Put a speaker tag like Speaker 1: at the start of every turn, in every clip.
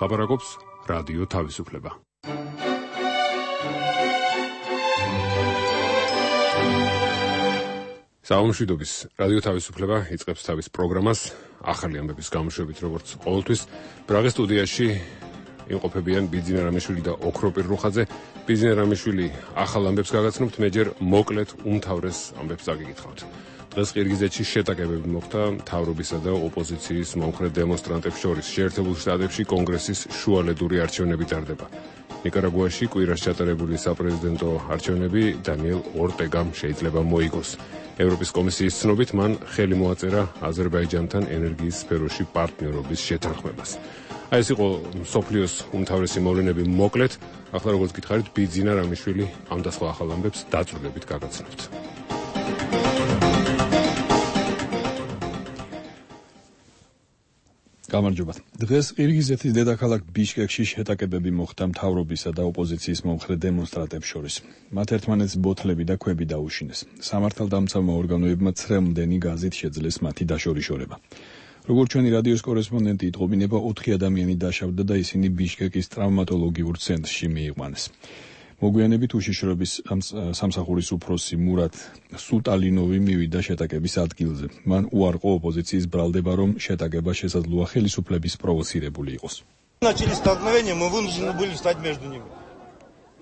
Speaker 1: ლაპარაკობს რადიო თავისუფლება. საომშვიდობის რადიო თავისუფლება იწყებს თავის პროგრამას ახალი ამბების გამოშვებით, როგორც ყოველთვის. ბრაღის სტუდიაში იმყოფებიან ბიძინა რამიშვილი და ოქროპირ რუხაძე. ბიძინა რამიშვილი ახალ ამბებს გაგაცნობთ, მე ჯერ მოკლედ უმთავრეს ამბებს დაგიკითხავთ. დღეს ყირგიზეთში შეტაკებები მოხდა მთავრობისა და ოპოზიციის მომხრე დემონსტრანტებს შორის. შეერთებულ შტატებში კონგრესის შუალედური არჩევნები ტარდება. ნიკარაგუაში კვირას ჩატარებული საპრეზიდენტო არჩევნები დანიელ ორტეგამ შეიძლება მოიგოს. ევროპის კომისიის ცნობით მან ხელი მოაწერა აზერბაიჯანთან ენერგიის სფეროში პარტნიორობის შეთანხმებას. აი ეს იყო მსოფლიოს უმთავრესი მოვლენები მოკლედ. ახლა როგორც გითხარით, ბიძინა რამიშვილი ამ და სხვა ახალ ამბებს დაწვრილებით გაგაცნობთ.
Speaker 2: გამარჯობა. დღეს ყირგიზეთის დედაქალაქ ბიშკეკში შეტაკებები მოხდა მთავრობისა და ოპოზიციის მომხრე დემონსტრანტებს შორის. მათ ერთმანეთს ბოთლები და ქვები დაუშინეს. სამართალდამცავმა ორგანოებმა ცრემლდენი გაზით შეძლეს მათი დაშორიშორება. როგორც ჩვენი რადიოს კორესპონდენტი იტყობინება, 4 ადამიანი დაშავდა და ისინი ბიშკეკის ტრავმატოლოგიურ ცენტრში მიიყვანეს. მოგვიანებით უშიშროების სამსახურის უფროსი მურატ სუტალინოვი მივიდა შეტაკების ადგილზე. მან უარყო ოპოზიციის ბრალდება, რომ შეტაკება შესაძლოა ხელისუფლების პროვოცირებული იყოს.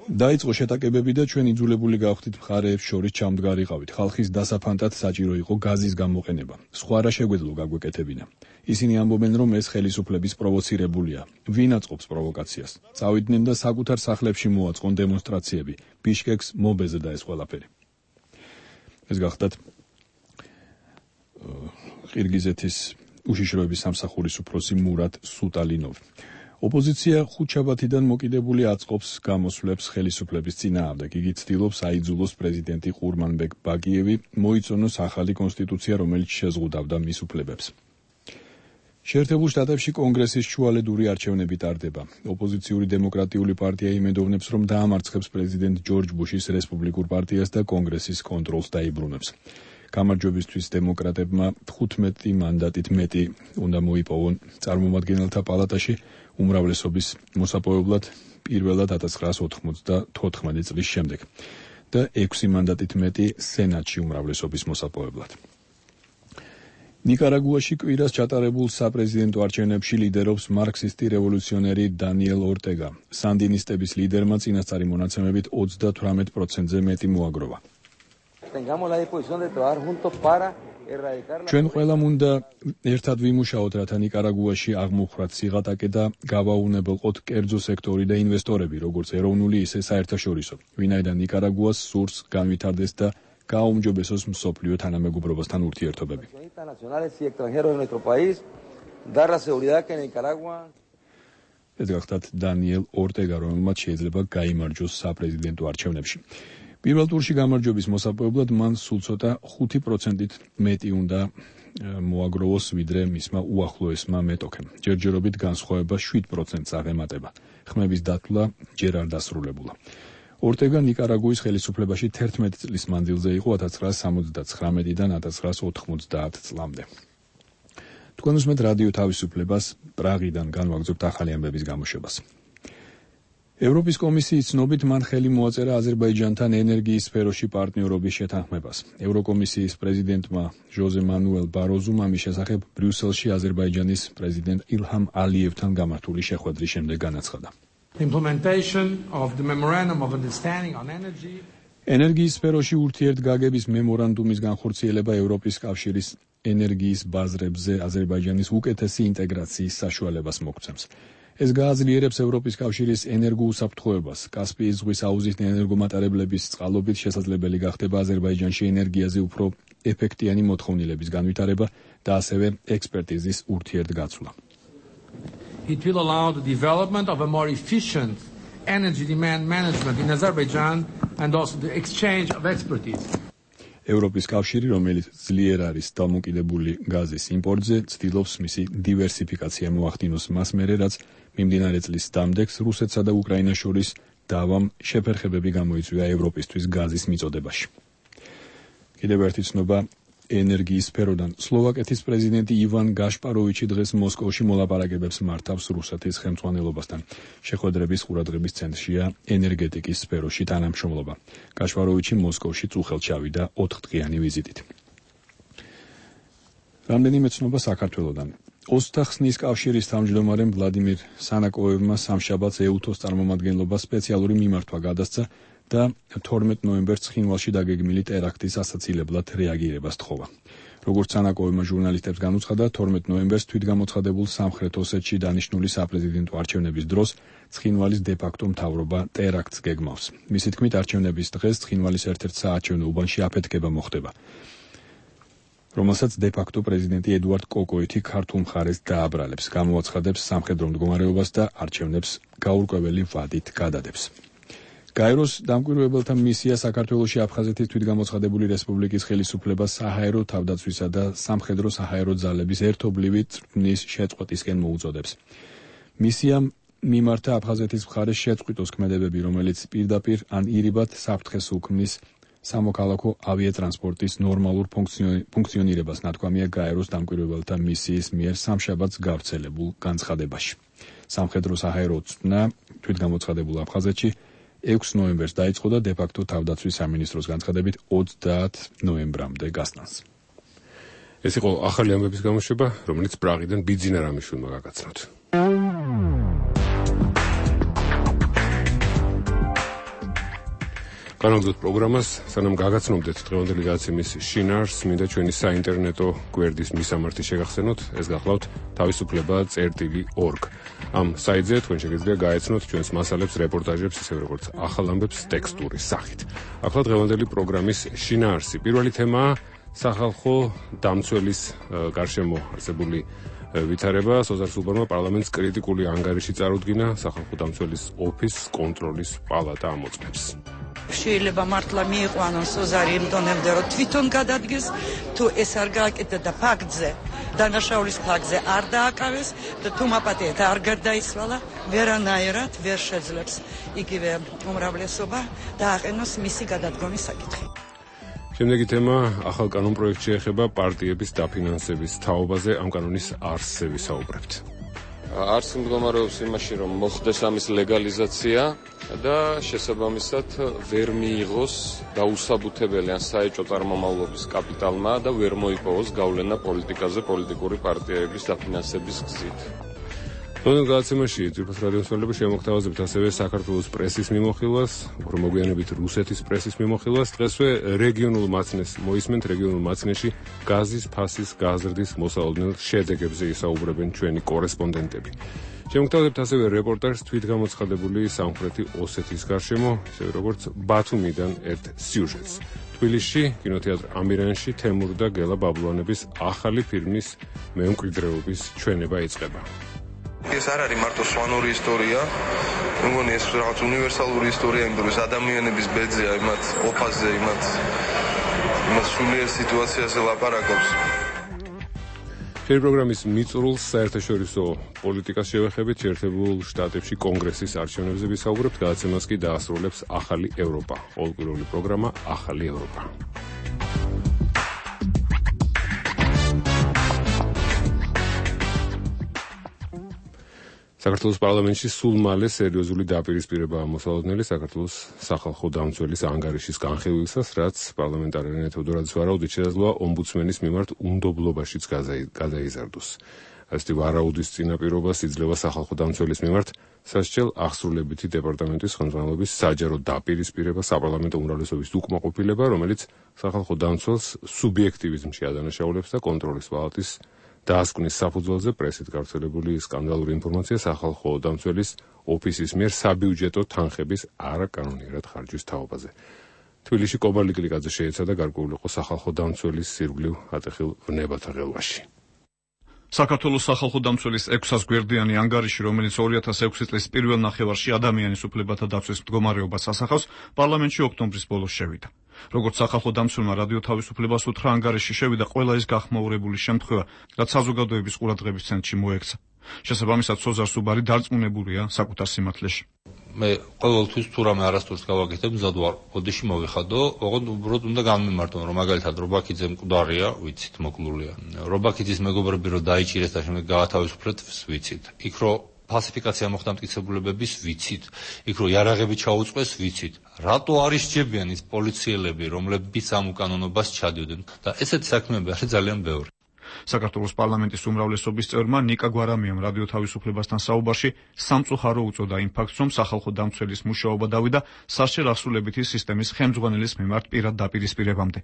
Speaker 2: დაიწყო შეტაკებები და ჩვენ იძულებული გავხდით მხარეებს შორის ჩამდგარიყავით. ხალხის დასაფანტად საჭირო იყო გაზის გამოყენება. სხვა რა შეგვეძლო გაგვეკეთებინა. ისინი ამბობენ, რომ ეს ხელისუფლების პროვოცირებულია. ვინ აწყობს პროვოკაციას? წავიდნენ და საკუთარ სახლებში მოაწყონ დემონსტრაციები. ბიშკეკს მობეზედა ეს ყველაფერი. ეს გახდათ ყირგიზეთის უშიშროების სამსახურის უფროსი მურატ სუტალინოვი. ოპოზიცია ხუთშაბათიდან მოკიდებული აწყობს გამოსვლებს ხელისუფლების წინააღმდეგ. იგი ცდილობს აიძულოს პრეზიდენტი ყურმანბეკ ბაკიევი მოიწონოს ახალი კონსტიტუცია, რომელიც შეზღუდავდა მის უფლებებს. შეერთებულ შტატებში კონგრესის შუალედური არჩევნები ტარდება. ოპოზიციური დემოკრატიული პარტია იმედოვნებს, რომ დაამარცხებს პრეზიდენტ ჯორჯ ბუშის რესპუბლიკურ პარტიას და კონგრესის კონტროლს დაიბრუნებს. გამარჯვებისთვის დემოკრატებმა 15 მანდატით მეტი უნდა მოიპოვონ წარმომადგენელთა პალატაში უმრავლესობის მოსაპოვებლად პირველად 1994 წლის შემდეგ და 6 მანდატით მეტი სენატში უმრავლესობის მოსაპოვებლად. ნიკარაგუაში კვირას ჩატარებულ საპრეზიდენტო არჩევნებში ლიდერობს მარქსისტი რევოლუციონერი დანიელ ორტეგა. სანდინისტების ლიდერმა წინასწარი მონაცემებით 38%-ზე მეტი მოაგროვა. ჩვენ ყველამ უნდა ერთად ვიმუშაოთ, რათა ნიკარაგუაში აღმოხვრათ სიღატაკე და გავაუნებელყოთ კერძო სექტორი და ინვესტორები, როგორც ეროვნული, ისე საერთაშორისო, ვინაიდან ნიკარაგუას სურს განვითარდეს და გააუმჯობესოს მსოფლიო თანამეგობრობასთან ურთიერთობები. ეს გახდათ დანიელ ორტეგა, რომელმაც შეიძლება გაიმარჯვოს საპრეზიდენტო არჩევნებში. პირველ ტურში გამარჯვების მოსაპოვებლად მან სულ ცოტა 5%-ით მეტი უნდა მოაგროვოს, ვიდრე მისმა უახლოესმა მეტოქემ. ჯერჯერობით განსხვავება 7%-ს აღემატება. ხმების დათვლა ჯერ არ დასრულებულა. ორტეგა ნიკარაგუის ხელისუფლებაში 11 წლის მანძილზე იყო 1979-დან 1990 წლამდე. თქვენ უსმენთ რადიო თავისუფლებას, პრაღიდან განვაგრძობთ ახალი ამბების გამოშვებას. ევროპის კომისიის ცნობით მან ხელი მოაწერა აზერბაიჯანთან ენერგიის სფეროში პარტნიორობის შეთანხმებას. ევროკომისიის პრეზიდენტმა ჟოზე მანუელ ბაროზუმ ამის შესახებ ბრიუსელში აზერბაიჯანის პრეზიდენტ ილჰამ ალიევთან გამართული შეხვედრის შემდეგ განაცხადა. ენერგიის სფეროში ურთიერთგაგების მემორანდუმის განხორციელება ევროპის კავშირის ენერგიის ბაზრებზე აზერბაიჯანის უკეთესი ინტეგრაციის საშუალებას მოგცემს. ეს გააძლიერებს ევროპის კავშირის ენერგოუსაფრთხოებას. კასპიის ზღვის აუზის ენერგომატარებლების წყალობით შესაძლებელი გახდება აზერბაიჯანში ენერგიაზე უფრო ეფექტიანი მოთხოვნილების განვითარება და ასევე ექსპერტიზის ურთიერთგაცვლა.
Speaker 3: It will allow the development of a more efficient energy demand management in Azerbaijan and also the exchange of expertise.
Speaker 2: ევროპის კავშირი, რომელიც ძლიერ არის დამოკიდებული გაზის იმპორტზე, ცდილობს მისი დივერსიფიკაცია მოახდინოს მას მერე, რაც მიმდინარე წლის დამდეგს რუსეთსა და უკრაინას შორის დავამ შეფერხებები გამოიწვია ევროპისთვის გაზის მიწოდებაში. კიდევ ერთი ცნობა ენერგიის სფეროდან. სლოვაკეთის პრეზიდენტი ივან გაშპაროვიჩი დღეს მოსკოვში მოლაპარაკებებს მართავს რუსეთის ხელმძღვანელობასთან. შეხვედრების ყურადღების ცენტრშია ენერგეტიკის სფეროში თანამშრომლობა. გაშპაროვიჩი მოსკოვში წუხელთ ჩავიდა 4-დღიანი ვიზიტით. რამდენიმე ცნობა საქართველოდან. ოსტახსნის კავშირის თავმჯდომარემ ვლადიმირ სანაკოევმა სამშაბათს ეუთოს წარმომადგენლობა სპეციალური მიმართვა გადასცა და 12 ნოემბერს ცხინვალში დაგეგმილი ტერაქტის ასაცილებლად რეაგირებას თხოვა. როგორც სანაკოევმა ჟურნალისტებს განუცხადა, 12 ნოემბერს თვითგამოცხადებულ სამხრეთ ოსეთში დანიშნული საპრეზიდენტო არჩევნების დროს ცხინვალის დე-ფაქტო მთავრობა ტერაქტს გეგმავს. მისი თქმით, არჩევნების დღეს ცხინვალის ერთ-ერთ საარჩევნო უბანში აფეთქება მოხდება, რომელსაც დე-ფაქტო პრეზიდენტი ედუარდ კოკოითი ქართულ მხარეს დააბრალებს, გამოაცხადებს სამხედრო მდგომარეობას და არჩევნებს გაურკვეველი ვადით გადადებს. გაეროს დამკვირვებელთა მისია საქართველოში აფხაზეთის თვითგამოცხადებული რესპუბლიკის ხელისუფლებას საჰაერო თავდაცვისა და სამხედრო საჰაერო ძალების ერთობლივი წვრთნის შეწყვეტისკენ მოუწოდებს. მისიამ მიმართა აფხაზეთის მხარეს შეწყვიტოს ქმედებები, რომელიც პირდაპირ ან ირიბად საფრთხეს უქმნის სამოქალაქო ავიატრანსპორტის ნორმალურ ფუნქციონირებას, ნათქვამია გაეროს დამკვირვებელთა მისიის მიერ სამშაბათს გავრცელებულ განცხადებაში. სამხედრო საჰაერო წვრთნა თვითგამოცხადებულ აფხაზეთში 6 ნოემბერს დაიწყო და დე-ფაქტო თავდაცვის სამინისტროს განცხადებით 30 ნოემბრამდე გასტანს.
Speaker 1: ეს იყო ახალი ამბების გამოშვება, რომელიც პრაღიდან ბიძინა რამიშვილმა გაგაცნოთ. განაგრძოთ პროგრამას, სანამ გაგაცნობდეთ დღევანდელი გადაცემის შინაარსს, მინდა ჩვენი საინტერნეტო გვერდის მისამართი შეგახსენოთ, ეს გახლავთ თავისუფლება.org. ამ საიტზე თქვენ შეგიძლია გაეცნოთ ჩვენს მასალებს, რეპორტაჟებს, ისევე როგორც ახალ ამბებს ტექსტური სახით. ახლა დღევანდელი პროგრამის შინაარსი. პირველი თემაა სახალხო დამცველის გარშემო არსებული ვითარება. სოზარ სულბარმა პარლამენტს კრიტიკული ანგარიში წარუდგინა სახალხო დამცველის ოფისს კონტროლის პალატა ამოწმებს.
Speaker 4: შეიძლება მართლა მიიყვანონ სოზარი იმ დონემდე, რომ თვითონ გადადგეს, თუ ეს არ გააკეთა და ფაქტზე, დანაშაულის ფაქტზე არ დააკავეს და თუ მაპატიეთ არ გარდაიცვალა, ვერანაირად ვერ შეძლებს იგივე უმრავლესობა დააყენოს მისი გადადგომის საკითხი.
Speaker 1: შემდეგი თემა ახალ კანონპროექტში ეხება პარტიების დაფინანსების თაობაზე. ამ კანონის არსზე ვისაუბრებთ.
Speaker 5: არც მდგომარეობს იმაში, რომ მოხდეს ამის ლეგალიზაცია და შესაბამისად ვერ მიიღოს დაუსაბუთებელი ან საეჭვო წარმომავლობის კაპიტალმა და ვერ მოიპოვოს გავლენა პოლიტიკაზე პოლიტიკური პარტიების დაფინანსების გზით.
Speaker 1: დღევანდელ გადაცემაში ძვირფას რადიომსმენელები შემოგთავაზებთ ასევე საქართველოს პრესის მიმოხილვას, უფრო მოგვიანებით რუსეთის პრესის მიმოხილვას. დღესვე რეგიონულ მაცნეს მოისმენთ. რეგიონულ მაცნეში გაზის ფასის გაზრდის მოსალოდნელ შედეგებზე ისაუბრებენ ჩვენი კორესპონდენტები. შემოგთავაზებთ ასევე რეპორტაჟს თვითგამოცხადებული სამხრეთი ოსეთის გარშემო, ისევე როგორც ბათუმიდან ერთ სიუჟეტს. თბილისში, კინოთეატრ ამირანში თემურ და გელა ბაბლუანების ახალი ფილმის მემკვიდრეობის ჩვენება იწყება.
Speaker 6: ეს არ არის მარტო სვანური ისტორია, მგონი ეს რაღაც უნივერსალური ისტორია, იმიტომ რომ ადამიანების ბედზეა, იმათ ოფაზე, იმათ სულიერ სიტუაციაზე ლაპარაკობს.
Speaker 1: ჩვენი პროგრამის მიწურულს საერთაშორისო პოლიტიკას შევეხებით, შეერთებულ შტატებში კონგრესის არჩევნებზე ვისაუბრებთ, გადაცემას კი დაასრულებს ახალი ევროპა. ყოველკვირეული პროგრამა ახალი ევროპა. საქართველოს პარლამენტში სულ მალე სერიოზული დაპირისპირება მოსალოდნელი საქართველოს სახალხო დამცველის ანგარიშის განხილვისას, რაც პარლამენტარიანი თევდორაძის ვარაუდით შესაძლოა ომბუდსმენის მიმართ უნდობლობაშიც გადაიზარდოს. ასეთი ვარაუდის წინაპირობას იძლევა სახალხო დამცველის მიმართ სასჯელ აღსრულებითი დეპარტამენტის ხელმძღვანელობის საჯარო დაპირისპირება საპარლამენტო უმრავლესობის უკმაყოფილება, რომელიც სახალხო დამცველს სუბიექტივიზმში ადანაშაულებს და კონტროლის პალატის დაასკვნის საფუძველზე პრესით გავრცელებული სკანდალური ინფორმაცია სახალხო დამცველის ოფისის მიერ საბიუჯეტო თანხების არაკანონიერად ხარჯვის თაობაზე. თბილისში კობალი კლიკაძე შეეცადა გარკვეულიყო სახალხო დამცველის სირგვლივ ატეხილ ვნებათა ღელვაში.
Speaker 7: საქართველოს სახალხო დამცველის 600 გვერდიანი ანგარიში, რომელიც 2006 წლის პირველ ნახევარში ადამიანის უფლებათა დაცვის მდგომარეობას ასახავს, პარლამენტში ოქტომბრის ბოლოს შევიდა. როგორც სახალხო დამცველმა რადიო თავისუფლებას უთხრა, ანგარიში შევიდა ყველა ის გახმაურებული შემთხვევა, რაც საზოგადოების ყურადღების ცენტრში მოექცა. შესაბამისად, სოზარ სუბარი დარწმუნებულია საკუთარ სიმართლეში.
Speaker 8: მე ყოველთვის თუ რამე არასდროს გავაკეთებ, მზად ვარ. ოდიში მოვიხადო, ოღონდ უბრალოდ უნდა გამიმართო, რომ მაგალითად რობაქიძე მკვდარია, ვიცით, მოკლულია. რობაქიძის მეგობრები რომ დაიჭირეს და შემდეგ გაათავისუფლეთ, ვიცით. იქ რომ ფალსიფიკაცია მოხდა მტკიცებულებების, ვიცით. იქ რომ იარაღები ჩაუწყვეს, ვიცით. რატო არ ისჯებიან ის პოლიციელები, რომლებიც ამ უკანონობას ჩადიოდნენ? და ესეთი საქმეები არის ძალიან ბევრი.
Speaker 7: საქართველოს პარლამენტის უმრავლესობის წევრმა ნიკა გვარამიამ რადიო თავისუფლებასთან საუბარში სამწუხარო უწოდა იმ ფაქტს, რომ სახალხო დამცველის მუშაობა დავიდა სასჯელ ასრულებითი სისტემის ხელმძღვანელის მიმართ პირად დაპირისპირებამდე.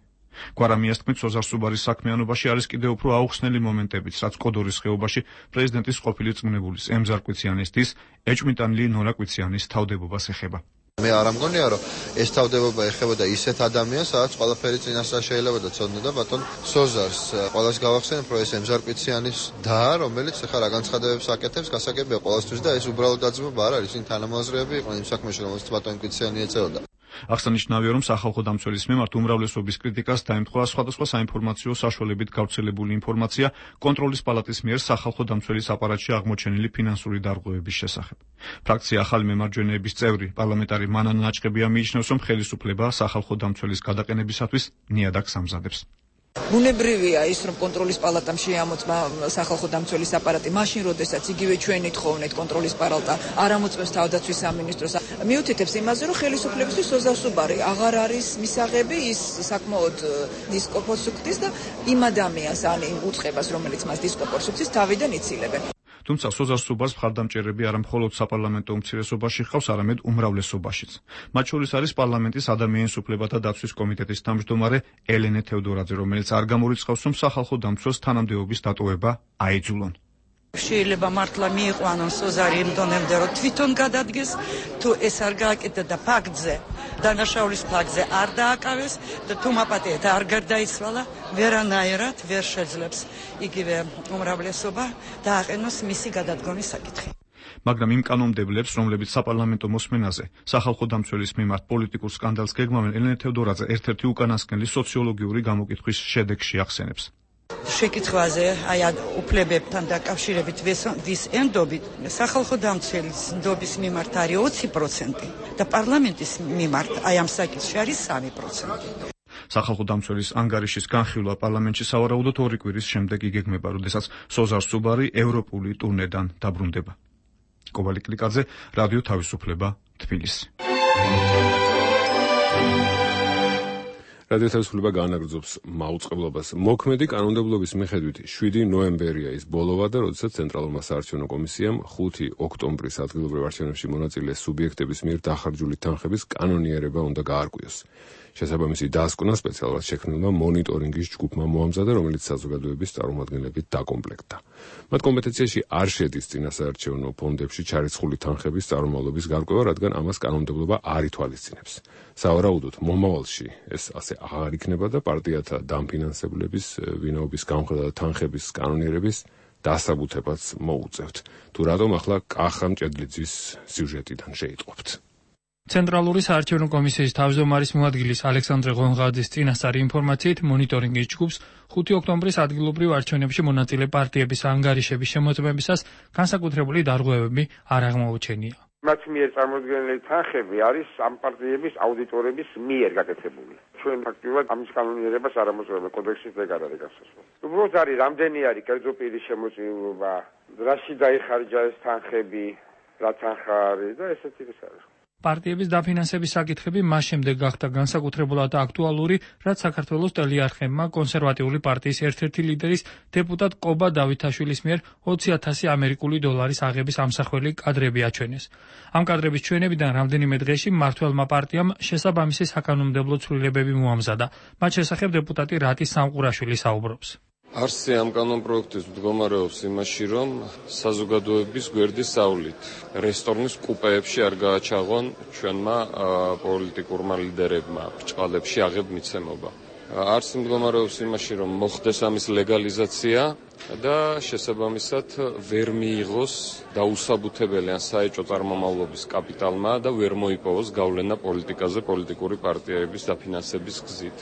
Speaker 7: გვარამიას თქმით, სოზარ სუბარის საქმიანობაში არის კიდევ უფრო აუხსნელი მომენტებიც, რაც კოდორის ხეობაში პრეზიდენტის ყოფილი წმუნებულის ემზარ კვიციანის დის ეჭვმიტანილი ნონა კვიციანის თავდებობას ეხება.
Speaker 9: მე არ ამგონია, რომ ეს თავდებობა ეხებოდა ისეთ ადამიანს, სადაც ყველაფერი წინასწარ შეიძლება და ცოდნოდა ბატონ სოზარს. ყველას გავახსენებ, რომ ეს ემზარ კვიციანის და, რომელიც ახლა რა განცხადებებს აკეთებს, გასაგებია ყველასთვის და ეს უბრალოდ დაძმობა არ არის, ისინი თანამოაზრეები იყვნენ იმ საქმეში, რომელსაც ბატონ კვიციანი ეწეოდა.
Speaker 7: აღსანიშნავია, რომ სახალხო დამცველის მიმართ უმრავლესობის კრიტიკას დაემთხვა სხვადასხვა საინფორმაციო საშუალებით გავრცელებული ინფორმაცია კონტროლის პალატის მიერ სახალხო დამცველის აპარატში აღმოჩენილი ფინანსური დარღვევების შესახებ. ფრაქცია ახალი მემარჯვენეების წევრი პარლამენტარი მანანა ნაჭყებია მიიჩნევს, რომ ხელისუფლება სახალხო დამცველის გადაყენებისათვის ნიადაგს ამზადებს.
Speaker 10: ბუნებრივია ის, რომ კონტროლის პალატამ შეამოწმა სახალხო დამცველის აპარატი, მაშინ როდესაც იგივე ჩვენი თხოვნით კონტროლის პალატა არ ამოწმებს თავდაცვის სამინისტროს. მიუთითებს იმაზე, რომ ხელისუფლებისთვის სოზარ სუბარი აღარ არის მისაღები, ის საკმაოდ დისკომფორტს უქმნის და იმ ადამიანს ან იმ უწყებას, რომელიც მას დისკომფორტს უქმნის, თავიდან იცილებენ.
Speaker 7: თუმცა სოზარ სუბარს მხარდამჭერები არა მხოლოდ საპარლამენტო უმცირესობაში ჰყავს, არამედ უმრავლესობაშიც. მათ შორის არის პარლამენტის ადამიანის უფლებათა დაცვის კომიტეტის თავმჯდომარე ელენე თევდორაძე, რომელიც არ გამორიცხავს, რომ სახალხო დამცველს თანამდებობის დატოვება აიძულონ.
Speaker 4: შეიძლება მართლა მიიყვანონ სოზარი იმ დონემდე, რომ თვითონ გადადგეს, თუ ეს არ გააკეთა და ფაქტზე, დანაშაულის ფაქტზე არ დააკავეს და თუ მაპატიეთ არ გარდაიცვალა, ვერანაირად ვერ შეძლებს იგივე უმრავლესობა დააყენოს მისი გადადგომის საკითხი.
Speaker 7: მაგრამ იმ კანონმდებლებს, რომლებიც საპარლამენტო მოსმენაზე სახალხო დამცველის მიმართ პოლიტიკურ სკანდალს გეგმავენ, ელენე თევდორაძე ერთ-ერთი უკანასკნელი სოციოლოგიური გამოკითხვის შედეგში ახსენებს.
Speaker 4: შეკითხვაზე აი უფლებებთან დაკავშირებით ვის ენდობით სახალხო დამცველის ნდობის მიმართ არის 20% და პარლამენტის მიმართ აი ამ საკითხში არის 3%.
Speaker 7: სახალხო დამცველის ანგარიშის განხილვა პარლამენტში სავარაუდოდ 2 კვირის შემდეგ იგეგმება, როდესაც სოზარ სუბარი ევროპული ტურნედან დაბრუნდება. კობალი კლიკაძე, რადიო თავისუფლება, თბილისი.
Speaker 1: რადიო თავისუფლება გაანაგრძობს მაუწყებლობას. მოქმედი კანონმდებლობის მიხედვით 7 ნოემბერია ის ბოლოვა და როდესაც ცენტრალურმა საარჩევნო კომისიამ 5 ოქტომბრის ადგილობრივ არჩევნებში მონაწილე სუბიექტების მიერ დახარჯული თანხების კანონიერება უნდა გაარკვიოს. შესაბამისი დასკვნა სპეციალურად შექმნილმა მონიტორინგის ჯგუფმა მოამზადა, რომელიც საზოგადოების წარმომადგენლებით დაკომპლექტდა. მათ კომპეტენციაში არ შედის წინასაარჩევნო ფონდებში ჩარიცხული თანხების წარმომავლობის გარკვევა, რადგან ამას კანონმდებლობა არ ითვალისწინებს. სავარაუდოდ მომავალში ეს ასე აღარ იქნება და პარტიათა დამფინანსებლების, ვინაობის გამხრა და თანხების კანონიერების დასაბუთებაც მოუწევთ. თუ რატომ ახლა კახა მჭედლიძის სიუჟეტიდან შეიტყობთ.
Speaker 11: ცენტრალური საარჩევნო კომისიის თავმჯდომარის მოადგილის ალექსანდრე ღონღაძის წინასწარი ინფორმაციით მონიტორინგის ჯგუფს 5 ოქტომბრის ადგილობრივ არჩევნებში მონაწილე პარტიების ანგარიშების შემოწმებისას განსაკუთრებული დარღვევები არ აღმოუჩენია.
Speaker 12: მათ მიერ წარმოდგენილი თანხები არის ამ პარტიების აუდიტორების მიერ გაკეთებული. ჩვენ ფაქტობრივად ამის კანონიერებას არ ამოწმებთ კოდექსის ეგ არ არის გასასვლელი. უბრალოდ არის რამდენი არის კერძო პირის შემოწირულობა, რაში დაიხარჯა ეს თანხები, რა თანხა არის და ესეთი ის არის.
Speaker 11: პარტიების დაფინანსების საკითხები მას შემდეგ გახდა განსაკუთრებულად აქტუალური, რაც საქართველოს ტელეარხებმა კონსერვატიული პარტიის ერთ-ერთი ლიდერის დეპუტატ კობა დავითაშვილის მიერ 20,000 ამერიკული დოლარის აღების ამსახველი კადრები აჩვენეს. ამ კადრების ჩვენებიდან რამდენიმე დღეში მმართველმა პარტიამ შესაბამისი საკანონმდებლო ცვლილებები მოამზადა. მათ შესახებ დეპუტატი რატი სამყურაშვილი საუბრობს.
Speaker 5: არსი ამ კანონპროექტის მდგომარეობს იმაში, რომ საზოგადოების გვერდის სწავლით რესტორნის კუპეებში არ გააჩაღონ ჩვენმა პოლიტიკურმა ლიდერებმა ბრჭყალებში აღებ მიცემობა. არსი მდგომარეობს იმაში, რომ მოხდეს ამის ლეგალიზაცია და შესაბამისად ვერ მიიღოს დაუსაბუთებელი ან საეჭვო წარმომავლობის კაპიტალმა და ვერ მოიპოვოს გავლენა პოლიტიკაზე პოლიტიკური პარტიების დაფინანსების გზით.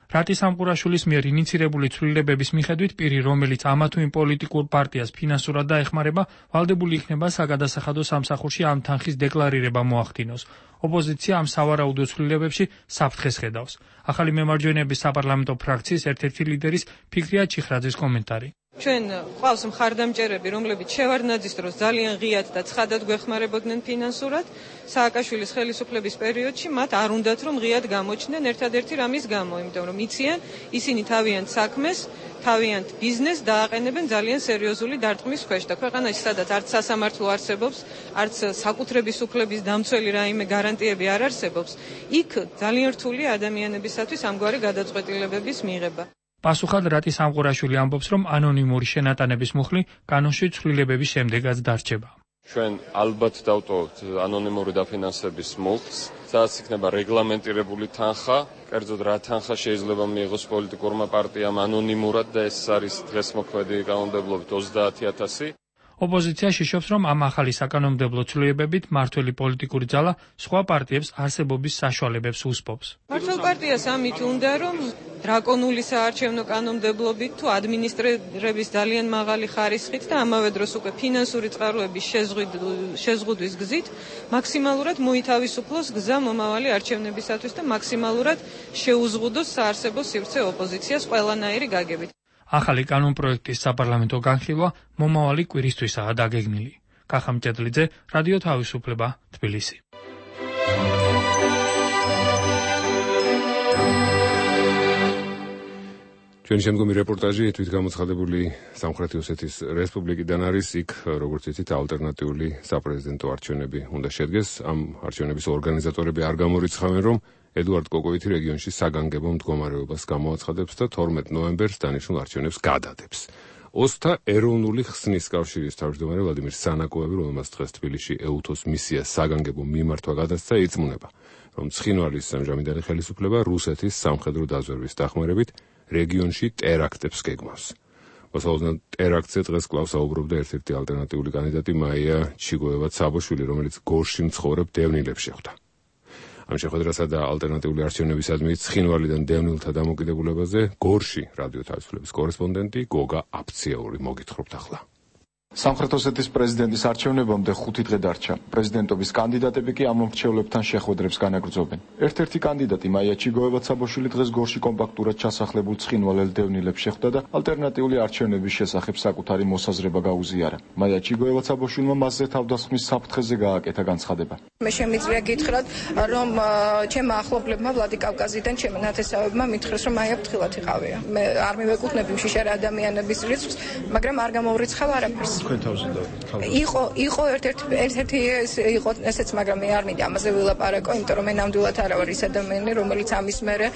Speaker 11: რატი სამყურაშვილის მიერ ინიცირებული ცვლილებების მიხედვით პირი, რომელიც ამა თუ იმ პოლიტიკურ პარტიას ფინანსურად დაეხმარება, ვალდებული იქნება საგადასახადო სამსახურში ამ თანხის დეკლარირება მოახდინოს. ოპოზიცია ამ სავარაუდო ცვლილებებში საფრთხეს ხედავს. ახალი მემარჯვენეების საპარლამენტო ფრაქციის ერთ-ერთი ლიდერის ფიქრია ჩიხრაძის კომენტარი.
Speaker 13: ჩვენ ყავს მხარდამჭერები, რომლებიც შევარდნაძის დროს ძალიან ღიად და ცხადად გვეხმარებოდნენ ფინანსურად, სააკაშვილის ხელისუფლების პერიოდში მათ არ უნდათ რომ ღიად გამოჩნდნენ ერთადერთი რამის გამო, იმიტომ რომ იციან, ისინი თავიანთ საქმეს, თავიანთ ბიზნესს დააყენებენ ძალიან სერიოზული დარტყმის ქვეშ და ქვეყანაში სადაც არც სასამართლო არსებობს, არც საკუთრების უფლების დამცველი რაიმე გარანტიები არ არსებობს, იქ ძალიან რთულია ადამიანებისათვის ამგვარი გადაწყვეტილებების მიღება.
Speaker 11: პასუხად რატი სამყურაშვილი ამბობს, რომ ანონიმური შენატანების მუხლი კანონში ცვლილებების შემდეგაც დარჩება.
Speaker 5: ჩვენ ალბათ დავტოვოთ ანონიმური დაფინანსების მუხლს, სადაც იქნება რეგლამენტირებული თანხა, კერძოდ რა თანხა შეიძლება მიიღოს პოლიტიკურმა პარტიამ ანონიმურად და ეს არის დღეს მოქმედი კანონმდებლობით 30,000.
Speaker 11: ოპოზიცია შიშობს, რომ ამ ახალი საკანონმდებლო ცვლილებებით მართველი პოლიტიკური ძალა სხვა პარტიებს არსებობის საშუალებებს უსპობს.
Speaker 13: მართლ პარტიას ამით უნდა, რომ დრაკონული საარჩევნო კანონმდებლობით თუ ადმინისტრირების ძალიან მაღალი ხარისხით და ამავე დროს უკვე ფინანსური წყაროების შეზღუდვის გზით მაქსიმალურად მოითავისუფლოს გზა მომავალი არჩევნებისათვის და მაქსიმალურად შეუზღუდოს საარსებო სივრცე ოპოზიციას ყველანაირი გაგებით.
Speaker 11: ახალი კანონპროექტის საპარლამენტო განხილვა მომავალი კვირისთვისაა დაგეგმილი. კახა მჭედლიძე, რადიო თავისუფლება, თბილისი.
Speaker 1: ჩვენი შემდგომი რეპორტაჟი თვითგამოცხადებული სამხრეთი ოსეთის რესპუბლიკიდან არის. იქ, როგორც იცით, ალტერნატიული საპრეზიდენტო არჩევნები უნდა შედგეს. ამ არჩევნების ორგანიზატორები არ გამორიცხავენ, რომ ედუარდ კოკოვითი რეგიონში საგანგებო მდგომარეობას გამოაცხადებს და 12 ნოემბერს დანიშნულ არჩევნებს გადადებს. ოსთა ეროვნული ხსნის კავშირის თავმჯდომარე ვლადიმერ სანაკოევი, რომელმაც დღეს თბილისში ეუთოს მისია საგანგებო მიმართვა გადასცა, იწმუნება, რომ ცხინვალის ამჟამინდელი ხელისუფლება რუსეთის სამხედრო დაზვერვის დახმარებით რეგიონში ტერაქტებს გეგმავს. მოსალოდნელ ტერაქტზე დღეს კვლავ საუბრობდა ერთ-ერთი ალტერნატიული კანდიდატი მაია ჩიგოევა-ცაბოშვილი, რომელიც გორში მცხოვრებ დევნილებს შეხვდა. ამ შეხვედრასა და ალტერნატიული არჩევნებისადმი ცხინვალიდან დევნილთა დამოკიდებულებაზე გორში რადიო თავისუფლების კორესპონდენტი გოგა აფციაური მოგითხრობთ ახლა.
Speaker 14: სამხრეთ ოსეთის პრეზიდენტის არჩევნებამდე 5 დღე დარჩა. პრეზიდენტობის კანდიდატები კი ამ მომრჩევლებთან შეხვედრებს განაგრძობენ. ერთ-ერთი კანდიდატი მაია ჩიგოევა-ცაბოშვილი დღეს გორში კომპაქტურად ჩასახლებულ ცხინვალელ დევნილებს შეხვდა და ალტერნატიული არჩევნების შესახებ საკუთარი მოსაზრება გაუზიარა. მაია ჩიგოევა-ცაბოშვილმა მასზე თავდასხმის საფრთხეზე გააკეთა განცხადება.
Speaker 10: მე შემიძლია გითხრათ, რომ ჩემმა ახლობლებმა ვლადიკავკაზიდან ჩემი ნათესავებმა მითხრეს, რომ მაია ფრთხილად იყავია. მე არ მივეკუთვნები მშიშარა ადამიანების რიცხვს, მაგრამ არ გამოვრიცხავ არაფერს. იყო ერთ-ერთი იყო ესეც, მაგრამ მე არ მინდა ამაზე ვილაპარაკო, იმიტომ რომ მე ნამდვილად არ ვარ ის ადამიანი, რომელიც ამის მერე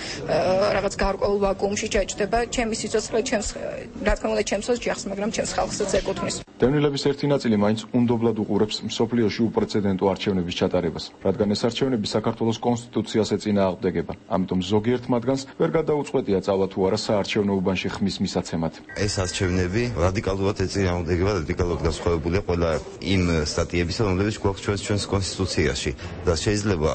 Speaker 10: რაღაც გარკვეულ ვაკუუმში ჩაჭდება. ჩემი სიცოცხლე რა თქმა უნდა ჩემს ოჯახს, მაგრამ ჩემს ხალხსაც ეკუთვნის.
Speaker 14: დევნილების ერთი ნაწილი მაინც უნდობლად უყურებს მსოფლიოში უპრეცედენტო არჩევნების ჩატარებას, რადგან ეს არჩევნები საქართველოს კონსტიტუციას ეწინააღმდეგება. ამიტომ ზოგიერთ მათგანს ვერ გადაუწყვეტია წავა თუ არა საარჩევნო უბანში ხმის მისაცემად.
Speaker 15: ეს არჩევნები რადიკალურად ეწინააღმდეგება რადიკალურად განსხვავებულია ყველა იმ სტატიებისა, რომლებიც გვაქვს ჩვენს კონსტიტუციაში და შეიძლება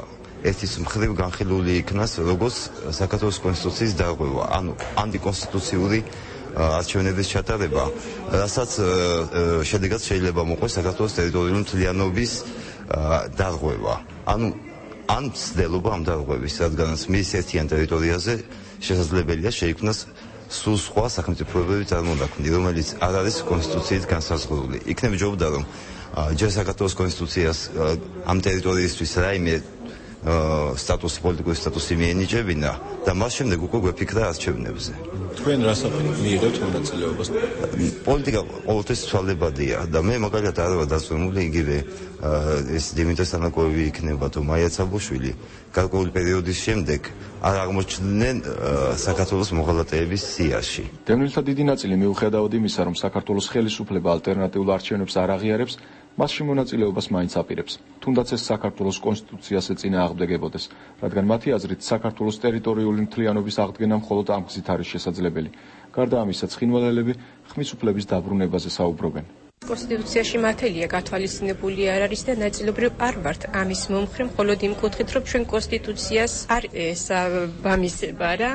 Speaker 15: ერთის მხრივ განხილული იქნას როგორც საქართველოს კონსტიტუციის დარღვევა, ანუ ანტიკონსტიტუციური არჩევნების ჩატარება, რასაც შედეგად შეიძლება მოყვეს საქართველოს ტერიტორიული მთლიანობის დარღვევა. ან ცდელობა ამ დარღვევის, რადგანაც მის ერთიან ტერიტორიაზე შესაძლებელია შეიქმნას სულ სხვა სახელმწიფოებრივი წარმონაქმნი, რომელიც არ არის კონსტიტუციით განსაზღვრული. იქნებ ჯობდა, რომ ჯერ საქართველოს კონსტიტუციას ამ ტერიტორიისთვის რაიმე სტატუსი, პოლიტიკური სტატუსი მიენიჭებინა და მას შემდეგ უკვე გვეფიქრა არჩევნებზე.
Speaker 14: თქვენ რას მიიღებთ მონაწილეობას?
Speaker 15: პოლიტიკა ყოველთვის ცვალებადია და მე მაგალითად არ ვარ დაწვემული, იგივე ეს დიმიტრი სანაკოევი იქნება თუ მაია ცაბოშვილი გარკვეული პერიოდის შემდეგ არ აღმოჩნდნენ საქართველოს მოღალატეების სიაში.
Speaker 14: დევნილთა დიდი ნაწილი მიუხედავად იმისა, რომ საქართველოს ხელისუფლება ალტერნატიულ არჩევნებს არ აღიარებს, მასში მონაწილეობას მაინც აპირებს. თუნდაც ეს საქართველოს კონსტიტუციას ეწინააღმდეგებოდეს, რადგან მათი აზრით საქართველოს ტერიტორიული მთლიანობის აღდგენა მხოლოდ ამ გზით არის შესაძლებელი. გარდა ამისა, ცხინვალელები ხმის უფლების დაბრუნებაზე საუბრობენ.
Speaker 16: კონსტიტუციაში მართალია გათვალისწინებული არ არის და ნაწილობრივ არ ვართ ამის მომხრე, მხოლოდ იმ კუთხით, რომ ჩვენ კონსტიტუციას არ ესაბამისება რა,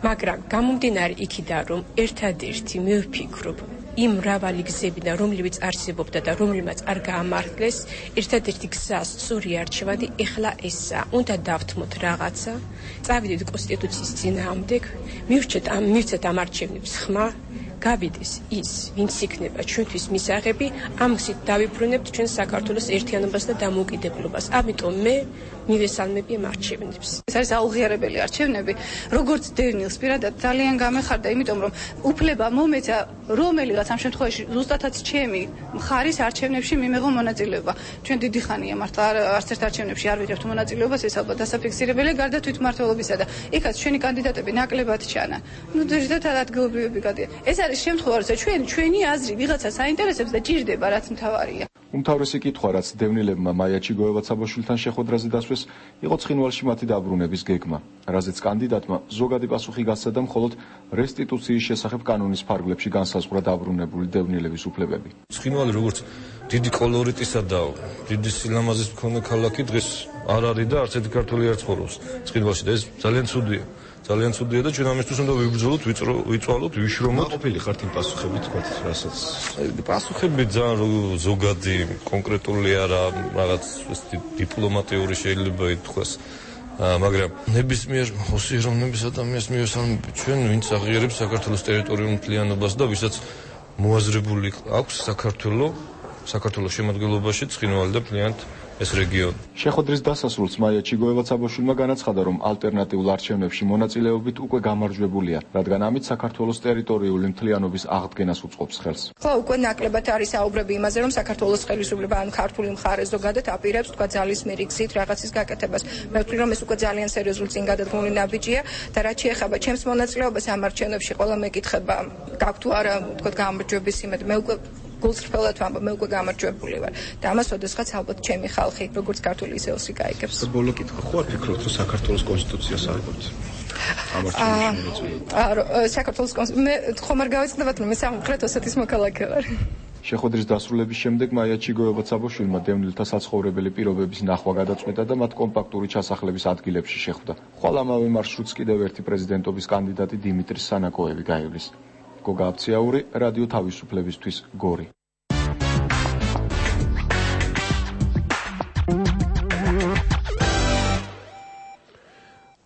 Speaker 16: მაგრამ გამომდინარე იქიდან, რომ ერთადერთი მე ვფიქრობ იმ მრავალი გზებიდან, რომლებიც არსებობდა და რომლებმაც არ გაამართლეს, ერთადერთი გზა სწორი არჩევადი ეხლა ესაა. უნდა დავთმოთ რაღაცა, წავიდეთ კონსტიტუციის წინააღმდეგ, მივცეთ ამ არჩევნებს ხმა, გავიდეს ის, ვინც იქნება ჩვენთვის მისაღები, ამ გზით დავიბრუნებთ ჩვენ საქართველოს ერთიანობას და დამოუკიდებლობას. ამიტომ მე მივესალმები ამ არჩევნებს.
Speaker 17: ეს არის აუღიარებელი არჩევნები, როგორც დევნილს პირადად ძალიან გამეხარდა, იმიტომ რომ უფლება მომეცა რომელიღაც ამ შემთხვევაში ზუსტადაც ჩემი მხარის არჩევნებში მიმეღო მონაწილეობა. ჩვენ დიდი ხანია მართლა არც ერთ არჩევნებში არ ვიღებთ მონაწილეობას, ეს ალბათ დასაფიქსირებელია გარდა თვითმმართველობისა და იქაც ჩვენი კანდიდატები ნაკლებად ჩანა. ზედმეტად ადგილობრივები გადიან. ეს არის შემთხვევა, როცა ჩვენი აზრი ვიღაცა საინტერესებს და ჭირდება, რაც მთავარია.
Speaker 14: უმთავრესი კითხვა, რაც დევნილებმა მაიაჩი გოევაც-საბაშვილთან შეხვედრაზე დასვეს, იყო ცხინვალში მათი დაბრუნების გეგმა, რაზეც კანდიდატმა ზოგადი პასუხი გასცა და მხოლოდ რესტიტუციის შესახებ კანონის ფარგლებში განსაზღვრა დაბრუნებული დევნილების უფლებები.
Speaker 18: ცხინვალი როგორც დიდი კოლორიტისა და დიდი სილამაზის მქონე ქალაქი დღეს არ არის და არც ერთი ქართველი არ ცხოვრობს ცხინვალში და ეს ძალიან ცუდია. ძალიან ცუდია და ჩვენ ამისთვის უნდა ვიბრძოლოთ, ვიწვალოთ, ვიშრომოთ.
Speaker 14: ყოფილი ხართ იმ პასუხებით, თქვათ, რასაც
Speaker 18: პასუხები ძალიან ზოგადი, კონკრეტული არა, რაღაც დიპლომატიური შეიძლება ითქვას. მაგრამ ნებისმიერ ოსიეროვნების ადამიანს მივესალმები ჩვენ, ვინც აღიარებს საქართველოს ტერიტორიულ მთლიანობას და ვისაც მოაზრებული აქვს საქართველოს შემადგენლობაში ცხინვალი და მთლიანად ეს რეგიონი.
Speaker 14: შეხვედრის დასასრულს მაიაჩი გოევაც-საბაშვილმა განაცხადა, რომ ალტერნატიულ არჩევნებში მონაწილეობით უკვე გამარჯვებულია, რადგან ამით საქართველოს ტერიტორიული მთლიანობის აღდგენას უწყობს ხელს.
Speaker 10: ხო, უკვე ნაკლებად არის საუბრები იმაზე, რომ საქართველოს ხელისუფლება ან ქართული მხარე ზოგადად აპირებს თქვა ძალისმიერი გზით რაღაცის გაკეთებას. მე ვთვლი, რომ ეს უკვე ძალიან სერიოზული წინგადადგმული ნაბიჯია და რაც შეეხება ჩემს მონაწილეობას ამ არჩევნებში, ყველა მეკითხება გაქვთ თუ არა თქვა გამარჯვების იმედი. მე უკვე გულწრფელად ვამბობ, მე უკვე გამარჯვებული ვარ და ამას ოდესღაც ალბათ ჩემი ხალხი, როგორც ქართული ისე ოსი გაიგებს.
Speaker 14: ბოლო კითხვა, ხო არ ფიქრობთ, რომ საქართველოს კონსტიტუციას არგოთ? ამ არჩევნებში
Speaker 10: საქართველოს მე ხომ არ გავეცდებათ, რომ მე სამხრეთ ოსეთის მოქალაქე ვარ.
Speaker 14: შეხვედრის დასრულების შემდეგ მაიაჩი გოევაც-საბაშვილმა დევნილთა საცხოვრებელი პირობების ნახვა გადაწყვეტა და მათ კომპაქტური ჩასახლების ადგილებში შეხვდა. ხვალ ამავე მარშრუტს კიდევ ერთი პრეზიდენტობის კანდიდატი დიმიტრი სანაკოევი გაივლის. გოგა აფციაური, რადიო თავისუფლებისთვის, გორი.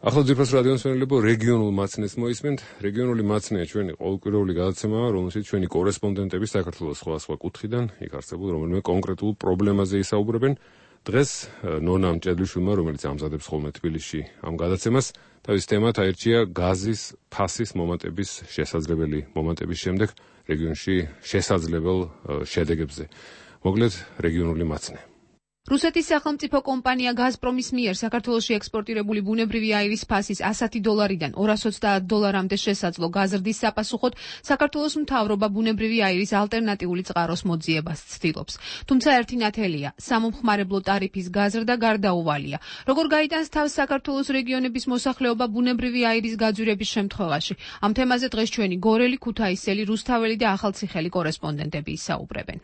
Speaker 1: ახლა ძირფას რადიოს მშენებლობ რეგიონულ მაცნეს მოისმენთ. რეგიონული მაცნეა ჩვენი ყოველკვირეული გადაცემა, რომელშიც ჩვენი კორესპონდენტები საქართველოს სხვადასხვა კუთხიდან, იქ არსებულ რომელიმე კონკრეტულ პრობლემაზე ისაუბრებენ. დღეს ნონა მჭედლიშვილმა, რომელიც ამზადებს ხოლმე თბილისში ამ გადაცემას, თავის თემად აირჩია გაზის ფასის მომატების შესაძლებელი მომატების შემდეგ რეგიონში შესაძლებელ შედეგებზე. მოკლედ რეგიონული მაცნე.
Speaker 19: რუსეთის სახელმწიფო კომპანია გაზპრომის მიერ საქართველოში ექსპორტირებული ბუნებრივი აირის ფასის $100-დან $230-მდე შესაძლო გაზრდის საპასუხოდ საქართველოს მთავრობა ბუნებრივი აირის ალტერნატიული წყაროს მოძიებას ცდილობს. თუმცა ერთი ნათელია, სამომხმარებლო ტარიფის გაზრდა გარდაუვალია. როგორ გაიტანს თავს საქართველოს რეგიონების მოსახლეობა ბუნებრივი აირის გაძვირების შემთხვევაში? ამ თემაზე დღეს ჩვენი გორელი, ქუთაისელი, რუსთაველი და ახალციხელი კორესპონდენტები ისაუბრებენ.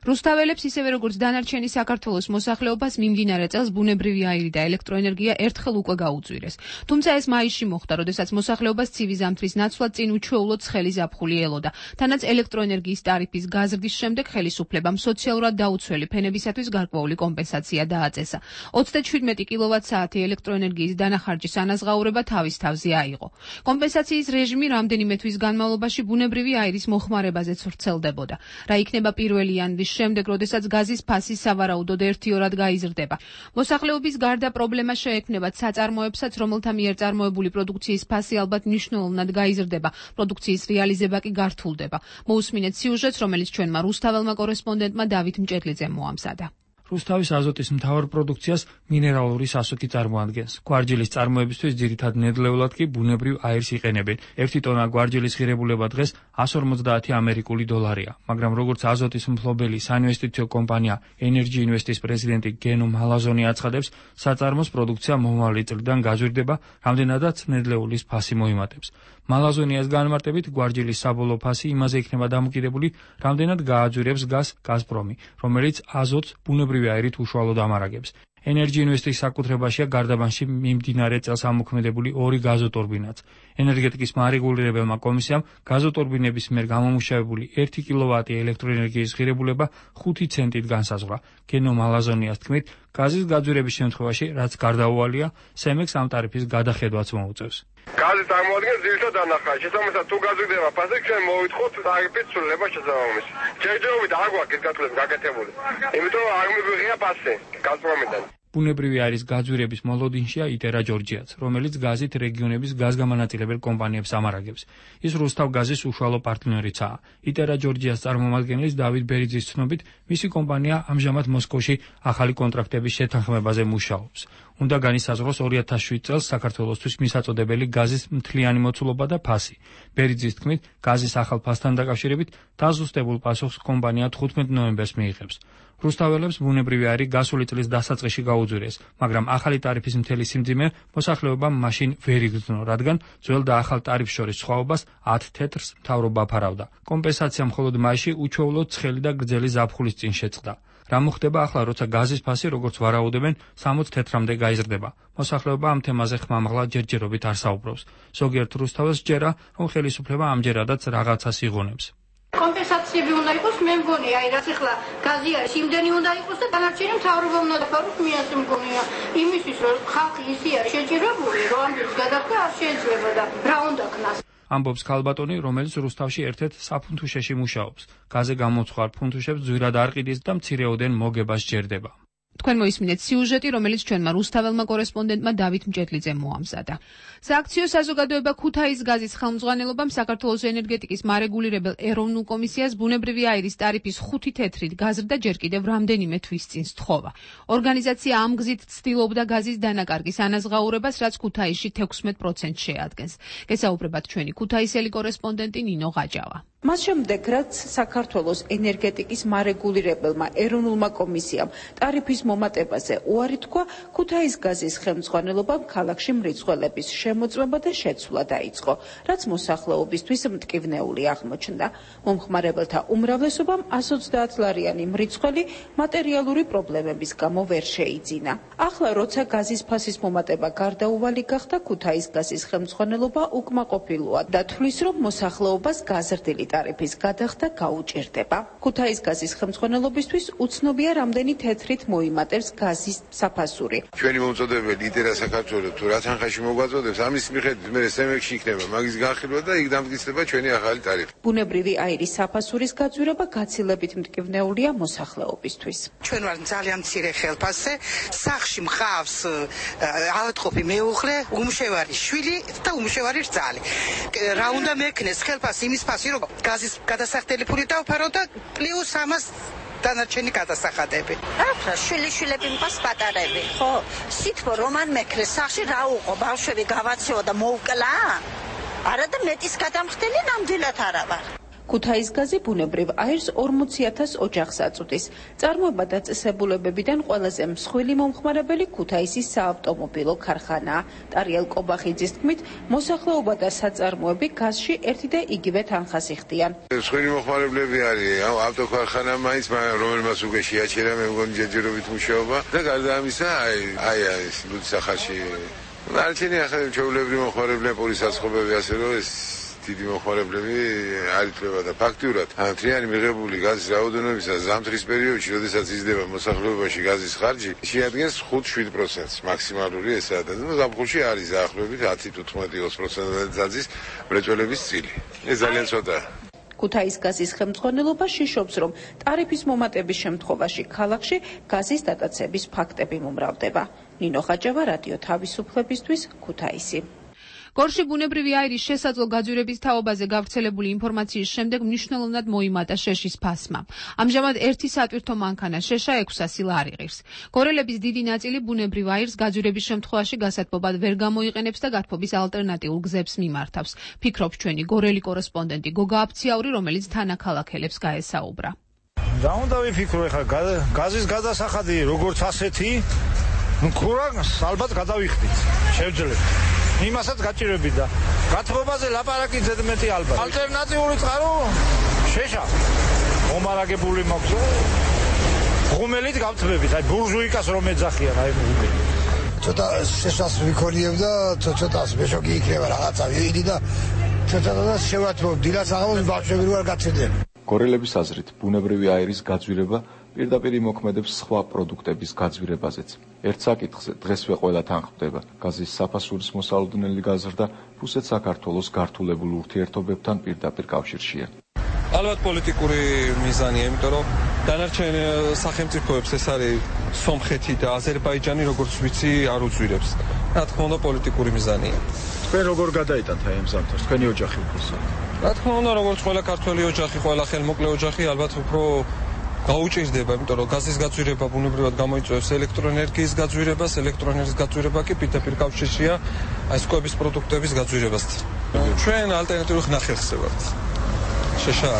Speaker 19: რუსთაველებს ისევე როგორც დანარჩენი საქართველოს მოსახლეობას მიმდინარე წელს ბუნებრივი აირი და ელექტროენერგია ერთხელ უკვე გაუწვირეს. თუმცა ეს მაისში მოხდა, როდესაც მოსახლეობას ცივი ზამთრის ნაცვლად წინ უჩვეულოდ ცხელი ზაფხული ელოდა. თანაც ელექტროენერგიის ტარიფის გაზრდის შემდეგ ხელისუფლებამ სოციალურად დაუცველი ფენებისათვის გარკვეული კომპენსაცია დააწესა. 37 კილოვატ-საათი ელექტროენერგიის დანახარჯის ანაზღაურება თავის თავზე აიღო. კომპენსაციის რეჟიმი რამდენიმე თვის განმავლობაში ბუნებრივი აირის მოხმარებაზეც ვრცელდებოდა. რა იქნება პირველი იანვრის შემდეგ, როდესაც გაზის ფასი სავარაუდოდ 1-2-რად გაიზრდება. მოსახლეობის გარდა პრობლემა შეექმნება საწარმოებსაც, რომელთა მიერ წარმოებული პროდუქციის ფასი ალბათ მნიშვნელოვნად გაიზრდება, პროდუქციის რეალიზება კი გართულდება. მოусმინეთ სიუჟეტს, რომელიც ჩვენმა რუსთაველმა კორესპონდენტმა დავით მჭედლიძემ მოამზადა.
Speaker 11: რუსთავის აზოტის მთავარ პროდუქციას მინერალური სასუქი წარმოადგენს. გვარჯილის წარმოებისთვის ძირითად ნედლეულად კი ბუნებრივ აირს იყენებენ. 1 ტონა გვარჯილის ღირებულება დღეს 150 ამერიკული დოლარია. მაგრამ როგორც აზოტის მფლობელი საინვესტიციო კომპანია Energy Invest-ის პრეზიდენტი გენო მალაზონი აცხადებს, საწარმოს პროდუქცია მომავალი წლიდან გაზრდება, რამდენადაც ნედლეულის ფასი მოიმატებს. მალაზონიას განმარტებით, გვარჯილის საბოლოო ფასი იმაზე იქნება დამოკიდებული, რამდენად გააძვირებს გაზს გაზპრომი, რომელიც აზოტს ბუნებრივი აირით უშუალოდ ამარაგებს. Energy Invest-ის საკუთრებაშია გარდაბანში მიმდინარე წელს ამოქმედებული 2 გაზოტორბინაც. ენერგეტიკის მარეგულირებელმა კომისიამ გაზოტორბინების მიერ გამომუშავებული 1 კილოვატი ელექტროენერგიის ღირებულება 5 ცენტით განსაზღვრა. გენო მალაზონიას თქმით, გაზის გაძვირების შემთხვევაში, რაც გარდაუვალია, სემექს ამ ტარიფის გადახედვაც მოუწევს.
Speaker 12: გაზი წარმოადგენს ძირითად დანახავს. შესაბამისად, თუ გაზრდება ფასი, ჩვენ მოვითხოთ ტარიფის ცვლილება შესაბამისად. ჯერჯერობით არ გვაქვს გასაგები გაკეთებული. იმიტომ არ მიგვიღია ფასი გაზპრომიდან. ბუნებრივი აირის გაძვირების მოლოდინშია იტერა ჯორჯიაც, რომელიც გაზით რეგიონების გაზგამანაწილებელ კომპანიებს ამარაგებს. ის რუსთავ გაზის უშუალო პარტნიორიცაა. იტერა ჯორჯიას წარმომადგენლის დავით ბერიძის ცნობით, მისი კომპანია ამჟამად მოსკოვში ახალი კონტრაქტების შეთანხმებაზე მუშაობს. უნდა განისაზღვროს 2007 წელს საქართველოსთვის მისაწოდებელი გაზის მთლიანი მოცულობა და ფასი. ბერიძის თქმით, გაზის ახალ ფასთან დაკავშირებით დაზუსტებულ პასუხს კომპანია 15 ნოემბერს მიიღებს. რუსთაველებს ბუნებრივი აირი გასული წლის დასაწყისში გაუძვირეს, მაგრამ ახალი ტარიფის მთელი სიმძიმე მოსახლეობამ მაშინ ვერ იგრძნო, რადგან ძველ და ახალ ტარიფს შორის სხვაობას 10 თეთრს მთავრობა ფარავდა. კომპენსაცია მხოლოდ მაისში უჩვეულოდ ცხელი და გრძელი ზაფხულის წინ შეწყდა. რა მოხდება ახლა, როცა გაზის ფასი, როგორც ვარაუდობენ, 60 თეთრამდე გაიზრდება? მოსახლეობა ამ თემაზე ხმამაღლა ჯერჯერობით არ საუბრობს. ზოგიერთ რუსთაველს ჯერა, რომ ხელისუფლება ამჯერადაც რაღაცას იღონებს.
Speaker 20: კომპენსაციები უნდა იყოს, მე მგონია, აი რაც ახლა გაზი არის, იმდენი უნდა იყოს და დანარჩენი მთავრობა უნდა დაფაროს, მეც მგონია, იმისთვის რომ ხალხი ისე არის შეჭირებული, რომ ამბობს გადახდა არ შეიძლება და რა უნდა ქნას. ამბობს ქალბატონი, რომელიც რუსთავში ერთ-ერთ საფუნთუშეში მუშაობს. გაზე გამოცხარ ფუნთუშებს ძვირად არ ყიდის და მცირეოდენ მოგებას სჯერდება.
Speaker 19: თქვენ მოისმინეთ სიუჟეტი, რომელიც ჩვენმა რუსთაველმა კორესპონდენტმა დავით მჭედლიძემ მოამზადა. სააქციო საზოგადოება ქუთაის გაზის ხელმძღვანელობამ საქართველოს ენერგეტიკის მარეგულირებელ ეროვნულ კომისიას ბუნებრივი აირის ტარიფის 5 თეთრით გაზრდა ჯერ კიდევ რამდენიმე თვის წინ სთხოვა. ორგანიზაცია ამ გზით ცდილობდა გაზის დანაკარგის ანაზღაურებას, რაც ქუთაისში 16% შეადგენს. გესაუბრებათ ჩვენი ქუთაისელი კორესპონდენტი ნინო ღაჯავა.
Speaker 21: მას შემდეგ, რაც საქართველოს ენერგეტიკის მარეგულირებელმა ეროვნულმა კომისიამ ტარიფის მომატებაზე უარი თქვა, ქუთაის გაზის ხელმძღვანელობამ ქალაქში მრიცხველების შემოწმება და შეცვლა დაიწყო, რაც მოსახლეობისთვის მტკივნეული აღმოჩნდა. მომხმარებელთა უმრავლესობამ 130 ლარიანი მრიცხველი მატერიალური პრობლემების გამო ვერ შეიძინა. ახლა, როცა გაზის ფასის მომატება გარდაუვალი გახდა, ქუთაის გაზის ხელმძღვანელობა უკმაყოფილოა და თვლის, რომ მოსახლეობას გაზრდილი ტარიფის გადახდა გაუჭირდება. ქუთაის გაზის ხელმძღვანელობისთვის უცნობია, რამდენი თეთრით მოიმატებს გაზის საფასური.
Speaker 22: ჩვენი მომწოდებელი იტერა საქართველოს თუ რა თანხაში მოგვაწოდებს, ამის მიხედვით მე სემექში იქნება მაგის განხილვა და იქ დამტკიცდება ჩვენი ახალი ტარიფი.
Speaker 21: ბუნებრივი აირის საფასურის გაძვირება გაცილებით მტკივნეულია მოსახლეობისთვის.
Speaker 4: ჩვენ ვართ ძალიან მცირე ხელფასზე, სახლში მყავს ავადმყოფი მეუღლე, უმშევარი შვილი და უმშევარი რძალი. რა უნდა მექნეს ხელფასი იმის ფასი, რომ გაზის გადასახდელი ფული დავფარო და პლუს ამას დანარჩენი გადასახადები.
Speaker 23: ახლა შვილიშვილები მყავს პატარები, ხო? სითბო რომან მექნეს სახში რა უყო, ბავშვები გავაცეო და მოუკლა? არა და მეტის გადამხდელი ნამდვილად არა ვარ.
Speaker 21: ქუთაის გაზი ბუნებრივ აირს 40,000 ოჯახს აწვდის. წარმოება დაწესებულებებიდან ყველაზე მსხვილი მომხმარებელი ქუთაისის საავტომობილო ქარხანაა. ტარიელ კობახიძის თქმით, მოსახლეობა და საწარმოები გაზში ერთი და იგივე თანხას იხდიან.
Speaker 22: მსხვილი მომხმარებლები არის ავტოქარხანა მაინც, რომელმაც უკვე შეაჩერა მე მგონი ჯერჯერობით მუშაობა და გარდა ამისა, აი ეს ლუდსახარში არჩენი ახალი ჩვეულებრივი მომხმარებლები პოლისაცხოვები ასე რომ ეს დიდი მომხმარებლები არ ითვლება და ფაქტიურად მთლიანი მიღებული გაზის რაოდენობისა ზამთრის პერიოდში, როდესაც იზრდება მოსახლეობაში გაზის ხარჯი, შეადგენს 5-7%-ს მაქსიმალური ესაა და ზაფხულში არის დაახლოებით 10-15-20% დაძის მრეწველების წილი. ეს ძალიან ცოტაა.
Speaker 21: ქუთაის გაზის ხელმძღვანელობა შიშობს, რომ ტარიფის მომატების შემთხვევაში ქალაქში გაზის დატაცების ფაქტები მომრავლდება. ნინო ღაჯავა, რადიო თავისუფლებისთვის, ქუთაისი.
Speaker 19: გორში ბუნებრივი აირის შესაძლო გაძვირების თაობაზე გავრცელებული ინფორმაციის შემდეგ მნიშვნელოვნად მოიმატა შეშის ფასმა. ამჟამად ერთი სატვირთო მანქანა შეშა 600 ლარი ღირს. გორელების დიდი ნაწილი ბუნებრივ აირს გაძვირების შემთხვევაში გასათბობად ვერ გამოიყენებს და გათბობის ალტერნატიულ გზებს მიმართავს. ფიქრობს ჩვენი გორელი კორესპონდენტი გოგა აფციაური, რომელიც თანაქალაქელებს გაესაუბრა.
Speaker 2: რა უნდა ვიფიქრო ახლა გაზის გადასახადი როგორც ასეთი ქურას ალბათ გადავიხდით შევძლებ იმასაც გაჭირვები და გათბობაზე ლაპარაკი ზედმეტი ალბათ ალტერნატიული წყარო შეშა მომარაგებული მაქვს ღუმელით გავთბებით აი ბურჟუიკას რომ ეძახიან აი ღუმელი ცოტა შეშას ვიქორიებ და ცოტას მეშოკი იქნება რაღაცა ვიდი და ცოტა შევათბობ დილას აღავს ბავშვები რო არ გაცედნენ.
Speaker 14: გორელების აზრით, ბუნებრივი აირის გაძვირება პირდაპირ იმოქმედებს სხვა პროდუქტების გაძვირებაზეც. ერთ საკითხზე დღესვე ყველა თანხმდება. გაზის საფასურის მოსალოდნელი გაზრდა რუსეთ-საქართველოს გართულებულ ურთიერთობებთან პირდაპირ კავშირშია.
Speaker 3: ალბათ პოლიტიკური მიზანია, იმიტომ რომ დანარჩენ სახელმწიფოებს ეს არის სომხეთი და აზერბაიჯანი, როგორც ვიცი, არ უძვირებს. რა თქმა უნდა, პოლიტიკური მიზანია.
Speaker 14: თქვენ როგორ გადაიტანთ აი ამ ზამთარს? თქვენი ოჯახი უფროსა.
Speaker 3: რა თქმა უნდა, როგორც ყველა ქართველი ოჯახი, ყველა ხელმოკლე ოჯახი, ალბათ უფრო გაუჭირდება, იმიტომ რომ გაზის გაძვირება ბუნებრივად გამოიწვევს ელექტროენერგიის გაძვირებას, ელექტროენერგიის გაძვირება კი პირდაპირ კავშირშია აი სკვების პროდუქტების გაძვირებასთან. ჩვენ ალტერნატიულ ხნახელს ვართ. შეშა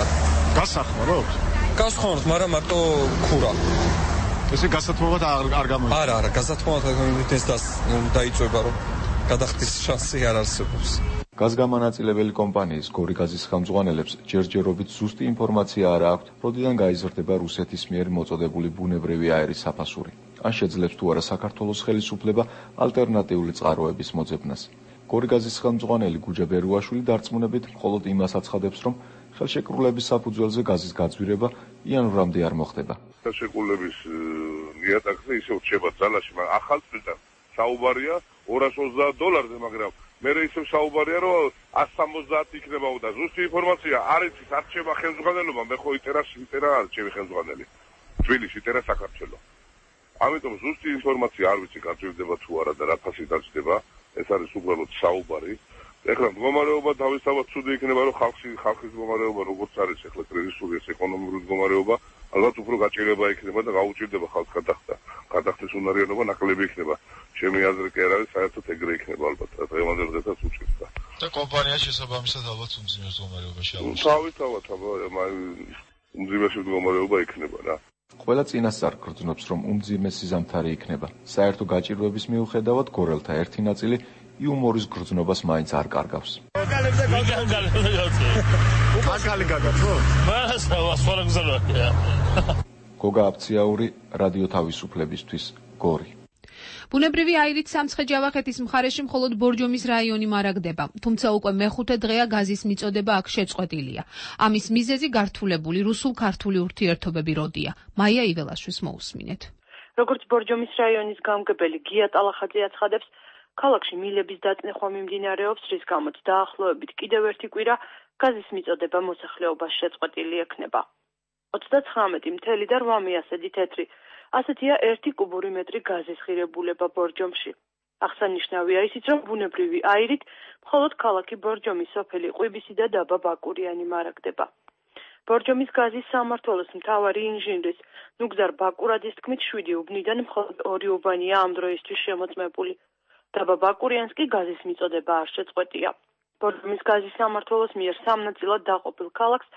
Speaker 2: გასახმაროთ?
Speaker 3: გასახმაროთ, მაგრამ მარტო ქურა.
Speaker 2: ესე გასათბობად არ გამოიწვევს.
Speaker 3: არა, გასათბობად ეს დაიწვება, რომ გადახდის შანსი არ არსებობს.
Speaker 14: გაზგამანაწილებელი კომპანიის გორი გაზის ხელმძღვანელებს ჯერჯერობით ზუსტი ინფორმაცია არ აქვთ, როდიდან გაიზრდება რუსეთის მიერ მოწოდებული ბუნებრივი აირის საფასური. ან შეძლებს თუ არა საქართველოს ხელისუფლება ალტერნატიული წყაროების მოძებნას. გორი გაზის ხელმძღვანელი გუჯა ბერუაშვილი დარწმუნებით მხოლოდ იმას აცხადებს, რომ ხელშეკრულების საფუძველზე გაზის გაძვირება იანვრამდე არ მოხდება.
Speaker 6: ხელშეკრულების ნიატაკზე ისე რჩება ძალაში, მაგრამ ახალ წელს საუბარია $230, მაგრამ მე ისევ საუბარია რომ 170 იქნება და ზუსტი ინფორმაცია არ იცის, არ რჩება ხელმძღვანელობა, მე ხო იტერა არჩევი ხელმძღვანელი. თბილისში იტერა საქართველოს. ამიტომ ზუსტი ინფორმაცია არ ვიცი გაძვირდება თუ არა და რა ფასი დაჭდება, ეს არის უბრალოდ საუბარი. ეხლა მდგომარეობა თავისთავად ცუდი იქნება, რომ ხალხის მდგომარეობა როგორც არის ეხლა კრიზისური ეს ეკონომიკური მდგომარეობა, ალბათ უფრო გაჭირება იქნება და გაუჭირდება ხალხს გადახდეს უნარიანობა ნაკლები იქნება. ჩემი აზრი კი არ არის, საერთოდ ეგრე იქნება ალბათ, დღევანდელ დღესაც უჭირდა.
Speaker 24: და კომპანია შესაბამისად ალბათ უმძიმეს მდგომარეობაში აღმოჩნდა.
Speaker 6: თავისთავად უმძიმესი მდგომარეობა იქნება რა.
Speaker 14: ყველა წინასწარ გრძნობს, რომ უმძიმესი ზამთარი იქნება. საერთო გაჭირვების მიუხედავად გორელთა ერთი ნაწილი იუმორის გრძნობას მაინც არ კარგავს. გოგა აფციაური, რადიო თავისუფლებისთვის, გორი.
Speaker 19: ბუნებრივი აირით სამცხე-ჯავახეთის მხარეში მხოლოდ ბორჯომის რაიონი მარაგდება, თუმცა უკვე მეხუთე დღეა გაზის მიწოდება აქ შეწყვეტილია. ამის მიზეზი გართულებული რუსულ-ქართული ურთიერთობები როდია. მაია იველაშვილს მოусმინეთ.
Speaker 25: როგორც ბორჯომის რაიონის გამგებელი გია ტალახაძე აცხადებს, ქალაქში მილების დაწნეხვა მიმდინარეობს, რის გამოც დაახლოებით კიდევ ერთი კვირა გაზის მიწოდება მოსახლეობას შეწყვეტილი ექნება. 99.8 მიასედი თეთრი. ასეთია 1 კუბური მეტრი გაზის ღირებულება ბორჯომში. აღსანიშნავია ისიც, რომ ბუნებრივი აირით მხოლოდ ქალაქი ბორჯომის სოფელი ყვიბისი და დაბა ბაკურიანი მარაგდება. ბორჯომის გაზის სამმართველოს მთავარი ინჟინრის ნუგზარ ბაკურაძის თქმით 7 უბნიდან მხოლოდ 2 უბანია ამ დროისთვის შემოწმებული. დაბა ბაკურიანს კი გაზის მიწოდება არ შეწყვეტია. ბორჯომის გაზის სამმართველოს მიერ სამნაწილად დაყოფილ ქალაქს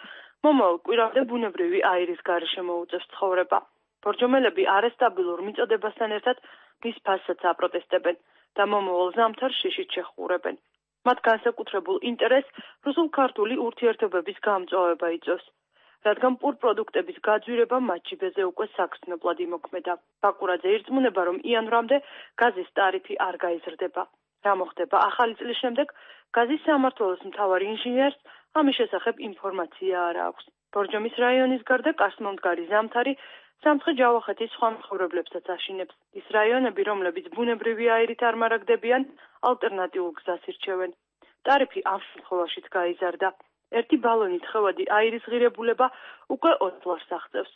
Speaker 25: მომავალ კვირამდე ბუნებრივი აირის გარეშე მოუწევს ცხოვრება. ბორჯომელები არასტაბილურ მიწოდებასთან ერთად მის ფასსაც აპროტესტებენ და მომავალ ზამთარს შიშით შეხურებენ. მათ განსაკუთრებულ ინტერესს რუსულ-ქართული ურთიერთობების გამწვავება იწვევს, რადგან პურპროდუქტების გაძვირება მათ ჯიბეზე უკვე საგრძნობლად იმოქმედა. ბაკურაძე ირწმუნება, რომ იანვრამდე გაზის ტარიფი არ გაიზრდება. რა მოხდება ახალი წლის შემდეგ, გაზის სამმართველოს მთავარ ინჟინერს ამის შესახებ ინფორმაცია არ აქვს. ბორჯომის რაიონის გარდა კასმომდგარი ზამთარი სამცხე-ჯავახეთის სხვა მცხოვრებლებსაც აშინებს. ის რაიონები, რომლებიც ბუნებრივი აირით არ მარაგდებიან, ალტერნატიულ გზას ირჩევენ. ტარიფი ამ შემთხვევაშიც გაიზარდა. 1 ბალონი თხევადი აირის ღირებულება უკვე 20 ლარს აღწევს.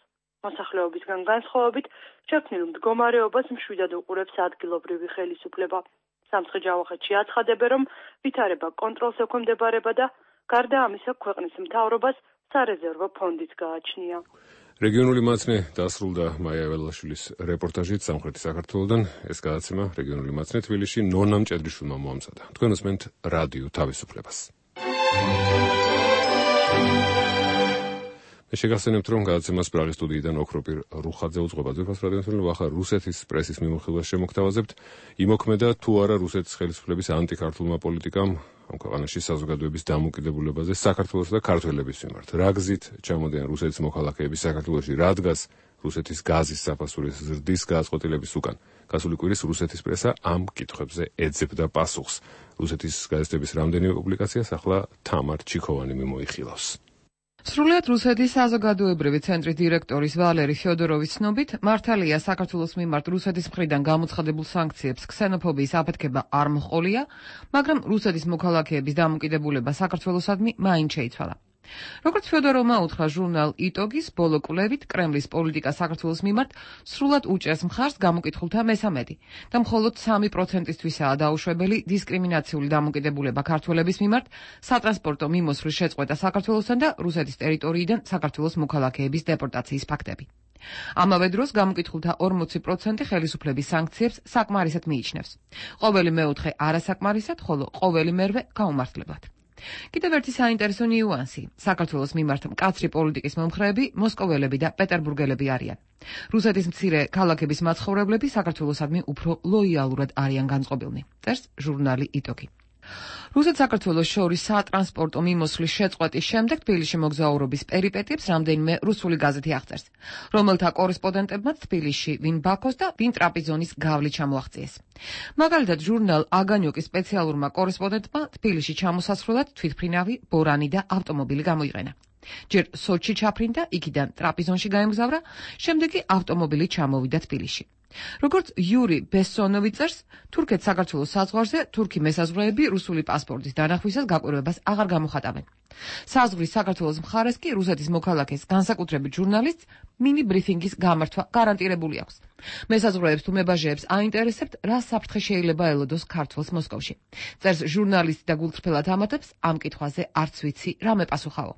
Speaker 25: მოსახლეობისგან განსხვავებით, შექმნილ მდგომარეობას მშვიდად უყურებს ადგილობრივი ხელისუფლება. სამცხე-ჯავახეთში აცხადებენ, რომ ვითარება კონტროლს ექვემდებარება და გარდა ამისა ქვეყნის მთავრობას სარეზერვო ფონდიც გააჩნია.
Speaker 1: რეგიონული მაცნე დასრულდა მაია ველაშვილის რეპორტაჟით სამხრეთი საქართველოდან. ეს გადაცემა რეგიონული მაცნე თბილისში ნონა მჭედრიშვილმა მოამზადა. თქვენ უსმენთ რადიო თავისუფლებას. მე შეგახსენებთ, რომ გადაცემას პრაღის სტუდიიდან ოქროპირ რუხაძე უძღვება. ძვირფას რადიოსმენელო, ახლა რუსეთის პრესის მიმოხილვას შემოგთავაზებთ. იმოქმედა თუ არა რუსეთის ხელისუფლების ანტიქართულმა პოლიტიკამ ამ ქვეყანაში საზოგადოების დამოუკიდებულებაზე საქართველოს და ქართველების მიმართ. რა გზით ჩამოდიან რუსეთის მოქალაქეები საქართველოში, რადგან რუსეთის გაზის საფასურის ზრდის გადაწყვეტილების უკან. გასული კვირის რუსეთის პრესა ამ კითხვებზე ეძებდა პასუხს. რუსეთის გაზეთების რამდენიმე პუბლიკაციას ახლა თამარ ჩიქოვანი მიმოიხილავს.
Speaker 5: სრულიად რუსეთის საზოგადოებრივი ცენტრის დირექტორის ვალერი ფიოდოროვის ცნობით, მართალია საქართველოს მიმართ რუსეთის მხრიდან გამოცხადებულ სანქციებს ქსენოფობიის აფეთქება არ მოჰყოლია, მაგრამ რუსეთის მოქალაქეების დამოუკიდებულება საქართველოსადმი მაინც შეიცვალა. როგორც ფიოდოროვმა უთხრა ჟურნალ იტოგის ბოლო კვლევით, კრემლის პოლიტიკა საქართველოს მიმართ სრულად უჭერს მხარს გამოკითხულთა მესამედი და მხოლოდ 3%-ისთვისაა დაუშვებელი დისკრიმინაციული დამოკიდებულება ქართველების მიმართ სატრანსპორტო მიმოსვლის შეწყვეტა საქართველოსთან და რუსეთის ტერიტორიიდან საქართველოს მოქალაქეების დეპორტაციის ფაქტები. ამავე დროს გამოკითხულთა 40% ხელისუფლების სანქციებს საკმარისად მიიჩნევს. ყოველი მეოთხე არასაკმარისად, ხოლო ყოველი მერვე გაუმართლებლად. კიდევ ერთი საინტერესო ნიუანსი. საქართველოს მიმართ მკაცრი პოლიტიკის მომხრეები მოსკოველები და პეტერბურგელები არიან. რუსეთის მცირე ქალაქების მაცხოვრებლები საქართველოსადმი უფრო ლოიალურად არიან განწყობილნი. წერს ჟურნალი იტოგი. რუსეთ-საქართველოს შორის სატრანსპორტო მიმოსვლის შეწყვეტის შემდეგ თბილისში მოგზაურობის პერიპეტიებს რამდენიმე რუსული გაზეთი აღწერს, რომელთა კორესპონდენტებმაც თბილისში ვინ ბაქოს და ვინ ტრაპიზონის გავლით ჩამოაღწიეს. მაგალითად, ჟურნალ აგანიოკის სპეციალურმა კორესპონდენტმა თბილისში ჩამოსასვლელად თვითმფრინავი, ბორანი და ავტომობილი გამოიყენა. ჯერ სოჩში ჩაფრინდა, იქიდან ტრაპიზონში გაემგზავრა, შემდეგ კი ავტომობილი ჩამოვიდა თბილისში. როგორც იური ბესონოვი წერს, თურქეთ-საქართველოს საზღვარზე თურქი მესაზღვრეები რუსული პასპორტის დანახვისას გაკვირვებას აღარ გამოხატავენ. საზღვრის საქართველოს მხარეს კი რუსეთის მოქალაქეს, განსაკუთრებით ჟურნალისტს, მინი ბრიფინგის გამართვა გარანტირებული აქვს. მესაზღვრეებს თუ მებაჟეებს აინტერესებთ, რა საფრთხე შეიძლება ელოდოს ქართველს მოსკოვში. წერს ჟურნალისტი და გულწრფელად ამატებს, ამ კითხვაზე არც ვიცი, რა მეპასუხაო.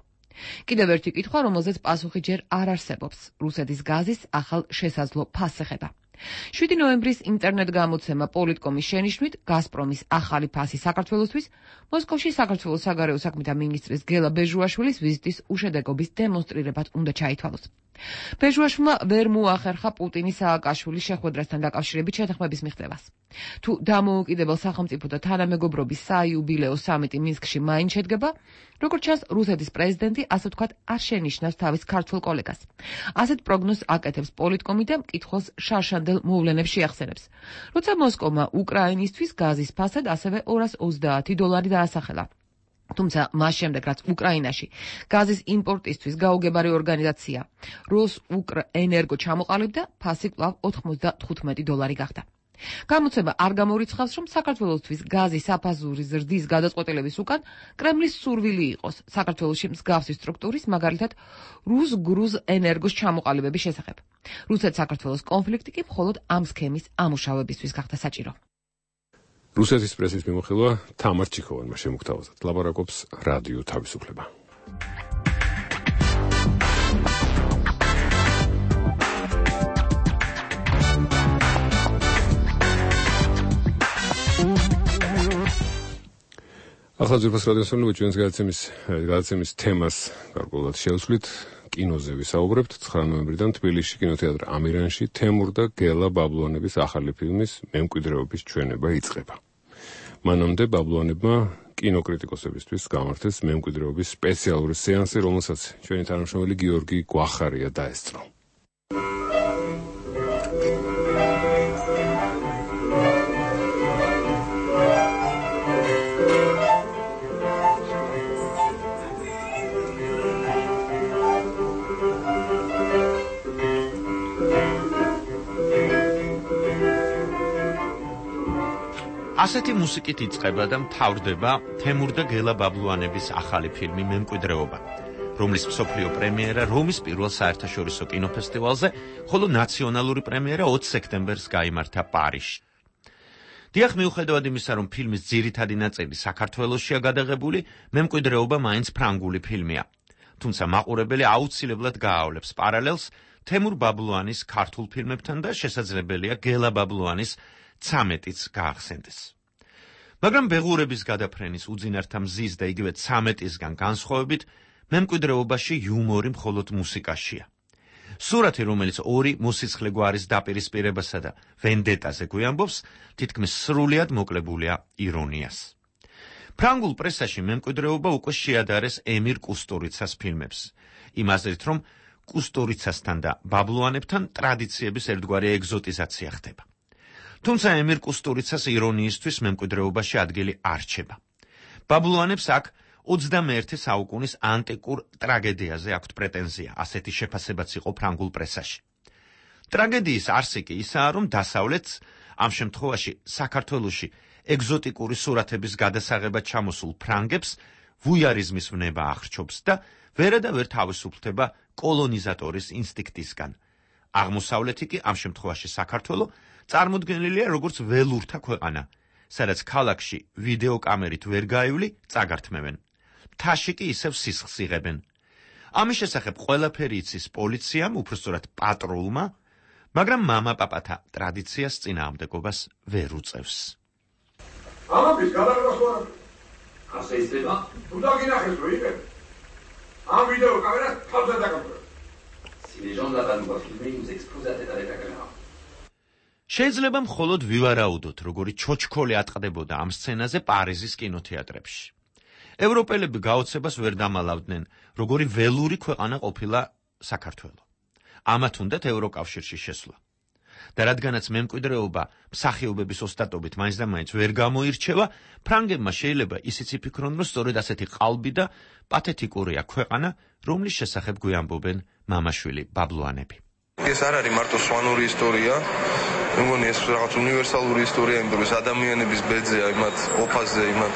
Speaker 5: კიდევ ერთი კითხვა, რომელზეც პასუხი ჯერ არ არსებობს. რუსეთის გაზის ახალ შესაძლო ფასს ეხება. 7 ნოემბრის ინტერნეტ გამოცემა პოლიტკომის შენიშვნით გაზპრომის ახალი ფასი საქართველოსთვის მოსკოვში საქართველოს საგარეო საქმეთა მინისტრის გელა ბეჟუაშვილის ვიზიტის უშედეგობის დემონსტრირებად უნდა ჩაითვალოს. ბეჟუაშვილმა ვერ მოახერხა პუტინის სააკაშვილის შეხვედრასთან დაკავშირებით შეთანხმების მიღწევას. თუ დამოუკიდებელ სახელმწიფოთა თანამეგობრობის საიუბილეო სამიტი მინსკში მაინც შედგება, როგორც ჩანს, რუსეთის პრეზიდენტი, ასე ვთქვათ, არ შენიშნავს თავის ქართველ კოლეგას. ასეთ პროგნოზს აკეთებს პოლიტკომი და მკითხველს შარშანდელ მოვლენებს შეახსენებს. როცა მოსკოვმა უკრაინისთვის გაზის ფასად ასევე $230 დაასახელა. თუმცა მას შემდეგ, რაც უკრაინაში გაზის იმპორტისთვის გაუგებარი ორგანიზაცია როსუკრენერგო ჩამოყალიბდა, ფასი კვლავ $95 გახდა. გამოცემა არ გამორიცხავს, რომ საქართველოსთვის გაზის საფასურის ზრდის გადაწყვეტილების უკან კრემლის სურვილი იყოს საქართველოში მსგავსი სტრუქტურის, მაგალითად რუსგრუზ ენერგოს ჩამოყალიბების შესახებ. რუსეთ-საქართველოს კონფლიქტი კი მხოლოდ ამ სქემის ამუშავებისთვის გახდა საჭირო.
Speaker 1: რუსეთის პრესის მიმოხილვა თამარ ჩიქოვანმა შემოგთავაზა. ლაპარაკობს რადიო თავისუფლება. ახლა ძვირფას რადიოსმენელო, ჩვენს გადაცემის თემას გარკვეულად შევცვლით. კინოზე ვისაუბრებთ. 9 ნოემბრიდან თბილისში კინოთეატრ ამირანში თემურ და გელა ბაბლუანების ახალი ფილმის მემკვიდრეობის ჩვენება იწყება. მანამდე ბაბლუანებმა კინოკრიტიკოსებისთვის გამართეს მემკვიდრეობის სპეციალური სეანსი, რომელსაც ჩვენი თანამშრომელი გიორგი გვახარია დაესწრო.
Speaker 7: ასეთი მუსიკით იწყება და მთავრდება თემურ და გელა ბაბლუანების ახალი ფილმი მემკვიდრეობა, რომლის მსოფლიო პრემიერა რომის პირველ საერთაშორისო კინოფესტივალზე, ხოლო ნაციონალური პრემიერა 20 სექტემბერს გაიმართა პარიზში. დიახ, მიუხედავად იმისა, რომ ფილმის ძირითადი ნაწილი საქართველოსშია გადაღებული, მემკვიდრეობა მაინც ფრანგული ფილმია. თუმცა მაყურებელი აუცილებლად გაავლებს პარალელს თემურ ბაბლუანის ქართულ ფილმებთან და შესაძლებელია გელა ბაბლუანის 13-იც გაახსენდეს. მაგრამ ბეღურების გადაფრენის უძინართა მზის და იგივე 13-ისგან განსხვავებით, მემკვიდრეობაში იუმორი მხოლოდ მუსიკაშია. სურათი, რომელიც ორი მოსიცხლე გვარის დაპირისპირებასა და ვენდეტაზე გვიამბობს, თითქმის სრულიად მოკლებულია ირონიას. ფრანგულ პრესაში მემკვიდრეობა უკვე შეადარეს ემირ კუსტურიცას ფილმებს. იმ აზრით, რომ კუსტურიცასთან და ბაბლუანებთან ტრადიციების ერთგვარი ეგზოტიზაცია ხდება. თუმცა ემირ კუსტურიცას ირონიისთვის მემკვიდრეობაში ადგილი არ რჩება. ბაბლუანებს აქ 21 საუკუნის ანტიკურ ტრაგედიაზე აქვთ პრეტენზია, ასეთი შეფასებაც იყო ფრანგულ პრესაში. ტრაგედიის არსი კი ისაა, რომ დასავლეთს, ამ შემთხვევაში საქართველოში ეგზოტიკური სურათების გადასაღებად ჩამოსულ ფრანგებს ვუიარიზმის ვნება ახრჩობს და ვერადავერ თავისუფლდება კოლონიზატორის ინსტინქტისგან. აღმოსავლეთი კი, ამ შემთხვევაში საქართველო, წარმოდგენილია როგორც ველურთა ქვეყანა, სადაც ქალაქში ვიდეოკამერით ვერ გაივლი, წაგართმევენ. მთაში კი ისევ სისხლს იღებენ. ამის შესახებ ყველაფერი იცის პოლიციამ, უпростоრად პატრულმა, მაგრამ მამა-პაპათა ტრადიციას წინააღმდეგობას ვერ უწევს.
Speaker 8: ამის გადაგებას ვარ. ასე ისება? თუ დაგინახეს რომ იღებ. ამ ვიდეოკამერას თავზე დაგამკვირვებ.
Speaker 9: Si les gens là-bas nous voient filmer, ils nous exposent la tête avec la caméra.
Speaker 7: შეიძლება მხოლოდ ვივარაუდოთ, როგორი ჩოჩქოლი ატყდებოდა ამ სცენაზე პარიზის კინოთეატრებში. ევროპელები გაოცებას ვერ დამალავდნენ, როგორი ველური ქვეყანა ყოფილა საქართველო. ამათ უნდათ ევროკავშირში შესვლა. და რადგანაც მემკვიდრეობა მსახიობების ოსტატობით მაინც და მაინც ვერ გამოირჩევა, ფრანგებმა შეიძლება ისიც იფიქრონ, რომ სწორედ ასეთი ყალბი და პათეტიკურია ქვეყანა, რომლის შესახებ გვიამბობენ მამაშვილი ბაბლუანები.
Speaker 13: ეს არ არის მარტო სვანური ისტორია, მე მგონი ეს რაღაც უნივერსალური ისტორია, იმიტომ რომ ადამიანების ბედზე, იმათ ოფაზე, იმათ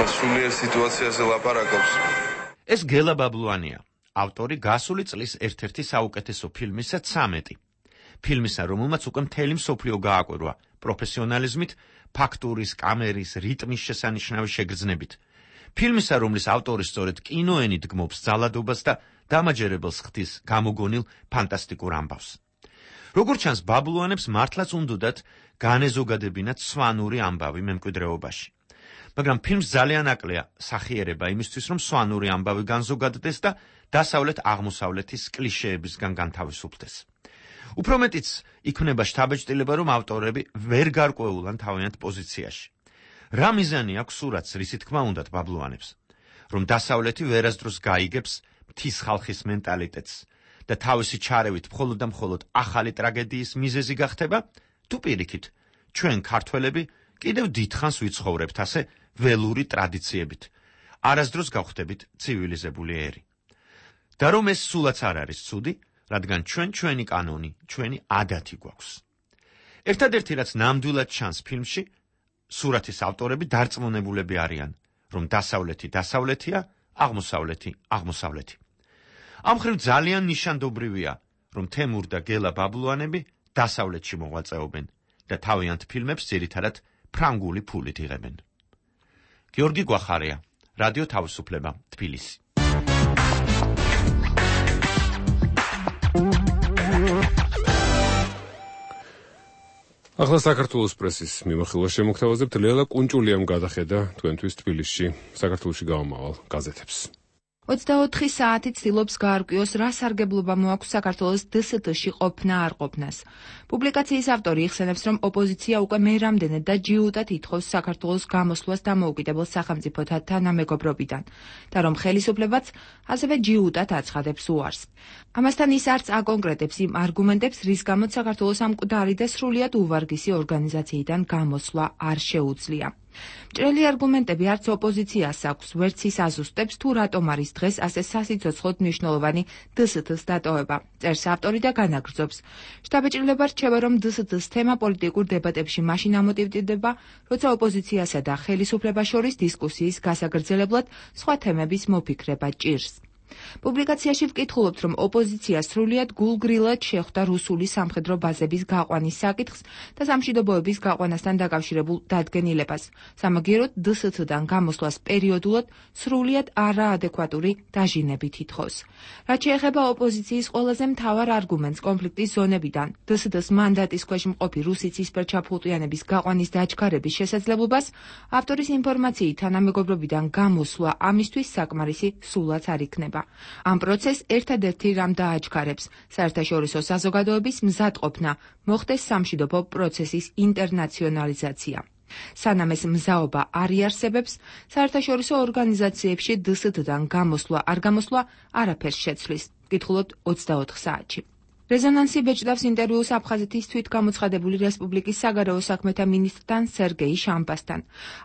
Speaker 13: სულიერ სიტუაციაზე ლაპარაკობს.
Speaker 7: ეს გელა ბაბლუანია, ავტორი გასული წლის ერთ-ერთი საუკეთესო ფილმისა 13. ფილმისა, რომელმაც უკვე მთელი მსოფლიო გააკვირვა პროფესიონალიზმით, ფაქტურის, კამერის, რიტმის შესანიშნავი შეგრძნებით. ფილმისა, რომლის ავტორი სწორედ კინოენით გმობს ძალადობას და დამაჯერებელს ხდის გამოგონილ ფანტასტიკურ ამბავს. როგორც ჩანს, ბაბლუანებს მართლაც უნდათ განეზოგადებინათ სვანური ამბავი მემკვიდრეობაში. მაგრამ ფილმს ძალიან აკლია სახიერება იმისთვის, რომ სვანური ამბავი განზოგადდეს და დასავლეთ-აღმოსავლეთის კლიშეებისგან განთავისუფლდეს. უფრო მეტიც იქნება შთაბეჭდილება, რომ ავტორები ვერ გარკვეულან თავიანთ პოზიციაში. რა მიზანი აქვს სურათს, რისი თქმა უნდათ ბაბლუანებს, რომ დასავლეთი ვერასდროს გაიგებს მთის ხალხის მენტალიტეტს და თავისი ჩარევით მხოლოდ და მხოლოდ ახალი ტრაგედიის მიზეზი გახდება, თუ პირიქით, ჩვენ ქართველები კიდევ დიდხანს ვიცხოვრებთ ასე ველური ტრადიციებით, არასდროს გავხდებით ცივილიზებული ერი. და რომ ეს სულაც არ არის ცუდი, რადგან ჩვენი კანონი, ჩვენი ადათი გვაქვს. ერთადერთი რაც ნამდვილად ჩანს ფილმში, სურათის ავტორები დარწმუნებულები არიან, რომ დასავლეთი დასავლეთია, აღმოსავლეთი აღმოსავლეთი. ამ მხრივ ძალიან ნიშანდობრივია, რომ თემურ და გელა ბაბლუანები დასავლეთში მოღვაწეობენ და თავიანთ ფილმებს ძირითადად ფრანგული ფულით იღებენ. გიორგი გვახარია, რადიო თავისუფლება, თბილისი.
Speaker 1: ახლა საქართველოს პრესის მიმოხილვა შემოგთავაზებთ. ლელა კუნჭულიამ გადახედა თქვენთვის თბილისში საქართველოში გამომავალ გაზეთებს.
Speaker 19: 24 საათი ცდილობს გაარკვიოს, რა სარგებლობა მოაქვს საქართველოს დსთ-ში ყოფნა არ ყოფნას. პუბლიკაციის ავტორი იხსენებს, რომ ოპოზიცია უკვე მე რამდენად და ჯიუტად ითხოვს საქართველოს გამოსვლას დამოუკიდებელ სახელმწიფოთა თანამეგობრობიდან და რომ ხელისუფლებაც ასევე ჯიუტად აცხადებს უარს. ამასთან ის არც აკონკრეტებს იმ არგუმენტებს, რის გამოც საქართველოს ამ მკვდარი და სრულიად უვარგისი ორგანიზაციიდან გამოსვლა არ შეუძლია. მჭრელი არგუმენტები არც ოპოზიციას აქვს, ვერც ის აზუსტებს, თუ რატომ არის დღეს ასე სასიცოცხლოდ მნიშვნელოვანი დსთ-ს დატოვება. წერს ავტორი და განაგრძობს. შთაბეჭდილება რჩება, რომ დსთ-ს თემა პოლიტიკურ დებატებში მაშინ ამოტივტივდება, როცა ოპოზიციასა და ხელისუფლებას შორის დისკუსიის გასაგრძელებლად სხვა თემების მოფიქრება ჭირს. პუბლიკაციაში ვკითხულობთ, რომ ოპოზიცია სრულიად გულგრილად შეხვდა რუსული სამხედრო ბაზების გაყვანის საკითხს და სამშვიდობოების გაყვანასთან დაკავშირებულ დადგენილებას. სამაგიეროდ დსთ-დან გამოსვლას პერიოდულად სრულიად არაადეკვატური დაჟინებით ითხოვს. რაც შეეხება ოპოზიციის ყველაზე მთავარ არგუმენტს კონფლიქტის ზონებიდან დსთ-ს მანდატის ქვეშ მყოფი რუსი ცისფერჩაფხუტიანების გაყვანის დაჩქარების შესაძლებლობას, ავტორის ინფორმაციით თანამეგობრობიდან გამოსვლა ამისთვის საკმარისი სულაც არ იქნება. ამ პროცესს ერთადერთი რამ დააჩქარებს საერთაშორისო საზოგადოების მზადყოფნა მოხდეს სამშვიდობო პროცესის ინტერნაციონალიზაცია. სანამ ეს მზაობა არ იარსებებს, საერთაშორისო ორგანიზაციებში დსთ-დან გამოსვლა არ გამოსვლა არაფერს შეცვლის. ვკითხულობთ 24 საათში. რეზონანსი ბეჭდავს ინტერვიუს აფხაზეთის თვითგამოცხადებული რესპუბლიკის საგარეო საქმეთა მინისტრთან სერგეი შამბასთან.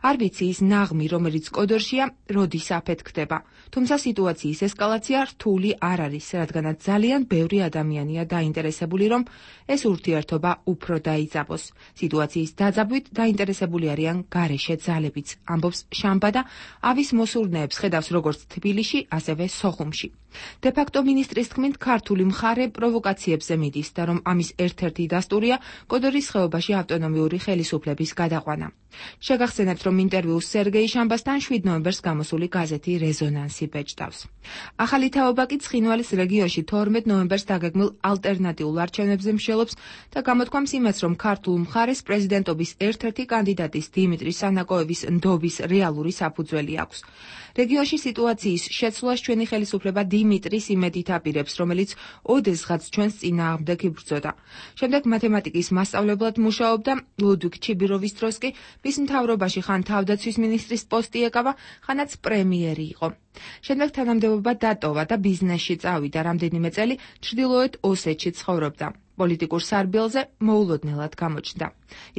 Speaker 19: არ ვიცი ის ნაღმი, რომელიც კოდორშია, როდის აფეთქდება. თუმცა სიტუაციის ესკალაცია რთული არ არის, რადგანაც ძალიან ბევრი ადამიანია დაინტერესებული, რომ ეს ურთიერთობა უფრო დაიძაბოს. სიტუაციის დაძაბვით დაინტერესებული არიან გარეშე ძალებიც, ამბობს შამბა და ავის მოსურნეებს ხედავს როგორც თბილისში, ასევე სოხუმში. დე-ფაქტო მინისტრის თქმით, ქართული მხარე პროვოკაციებზე მიდის და რომ ამის ერთ-ერთი დასტურია კოდორის ხეობაში ავტონომიური ხელისუფლების გადაყვანა. შეგახსენებთ, რომ ინტერვიუს სერგეი შამბასთან 7 ნოემბერს გამოსული გაზეთი რეზონანსი ბეჭდავს. ახალი თაობა კი ცხინვალის რეგიონში 12 ნოემბერს დაგეგმილ ალტერნატიულ არჩევნებზე მსჯელობს და გამოთქვამს იმას, რომ ქართულ მხარეს პრეზიდენტობის ერთ-ერთი კანდიდატის დიმიტრი სანაკოევის ნდობის რეალური საფუძველი აქვს. რეგიონში სიტუაციის შეცვლას ჩვენი ხელისუფლება დიმიტრის იმედით აპირებს, რომელიც ოდესღაც ჩვენს წინააღმდეგ იბრძოდა. შემდეგ მათემატიკის მასწავლებლად მუშაობდა, ლუდვიგ ჩიბიროვის დროს კი მის მთავრობაში ხან თავდაცვის მინისტრის პოსტი ეკავა, ხანაც პრემიერი იყო. შემდეგ თანამდებობა დატოვა და ბიზნესში წავიდა, რამდენიმე წელი ჩრდილოეთ ოსეთში ცხოვრობდა. პოლიტიკურ სარბიელზე მოულოდნელად გამოჩნდა.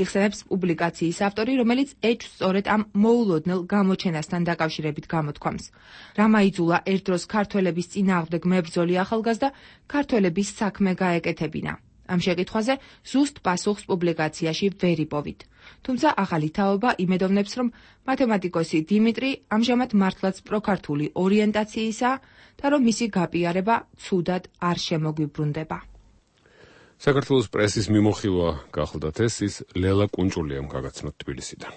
Speaker 19: იხსენებს პუბლიკაციის ავტორი, რომელიც ეჭვს სწორედ ამ მოულოდნელ გამოჩენასთან დაკავშირებით გამოთქვამს. რამ აიძულა ერთ დროს ქართველების წინააღმდეგ მებრძოლი ახალგაზრდა ქართველების საქმე გაეკეთებინა. ამ შეკითხვაზე ზუსტ პასუხს პუბლიკაციაში ვერ იპოვით. თუმცა ახალი თაობა იმედოვნებს, რომ მათემატიკოსი დიმიტრი ამჟამად მართლაც პროქართული ორიენტაციისაა და რომ მისი გაპიარება ცუდად არ შემოგვიბრუნდება.
Speaker 1: საქართველოს პრესის მიმოხილვა გახლდათ ეს ის ლელა კუნჭულიამ გაგაცნოთ თბილისიდან.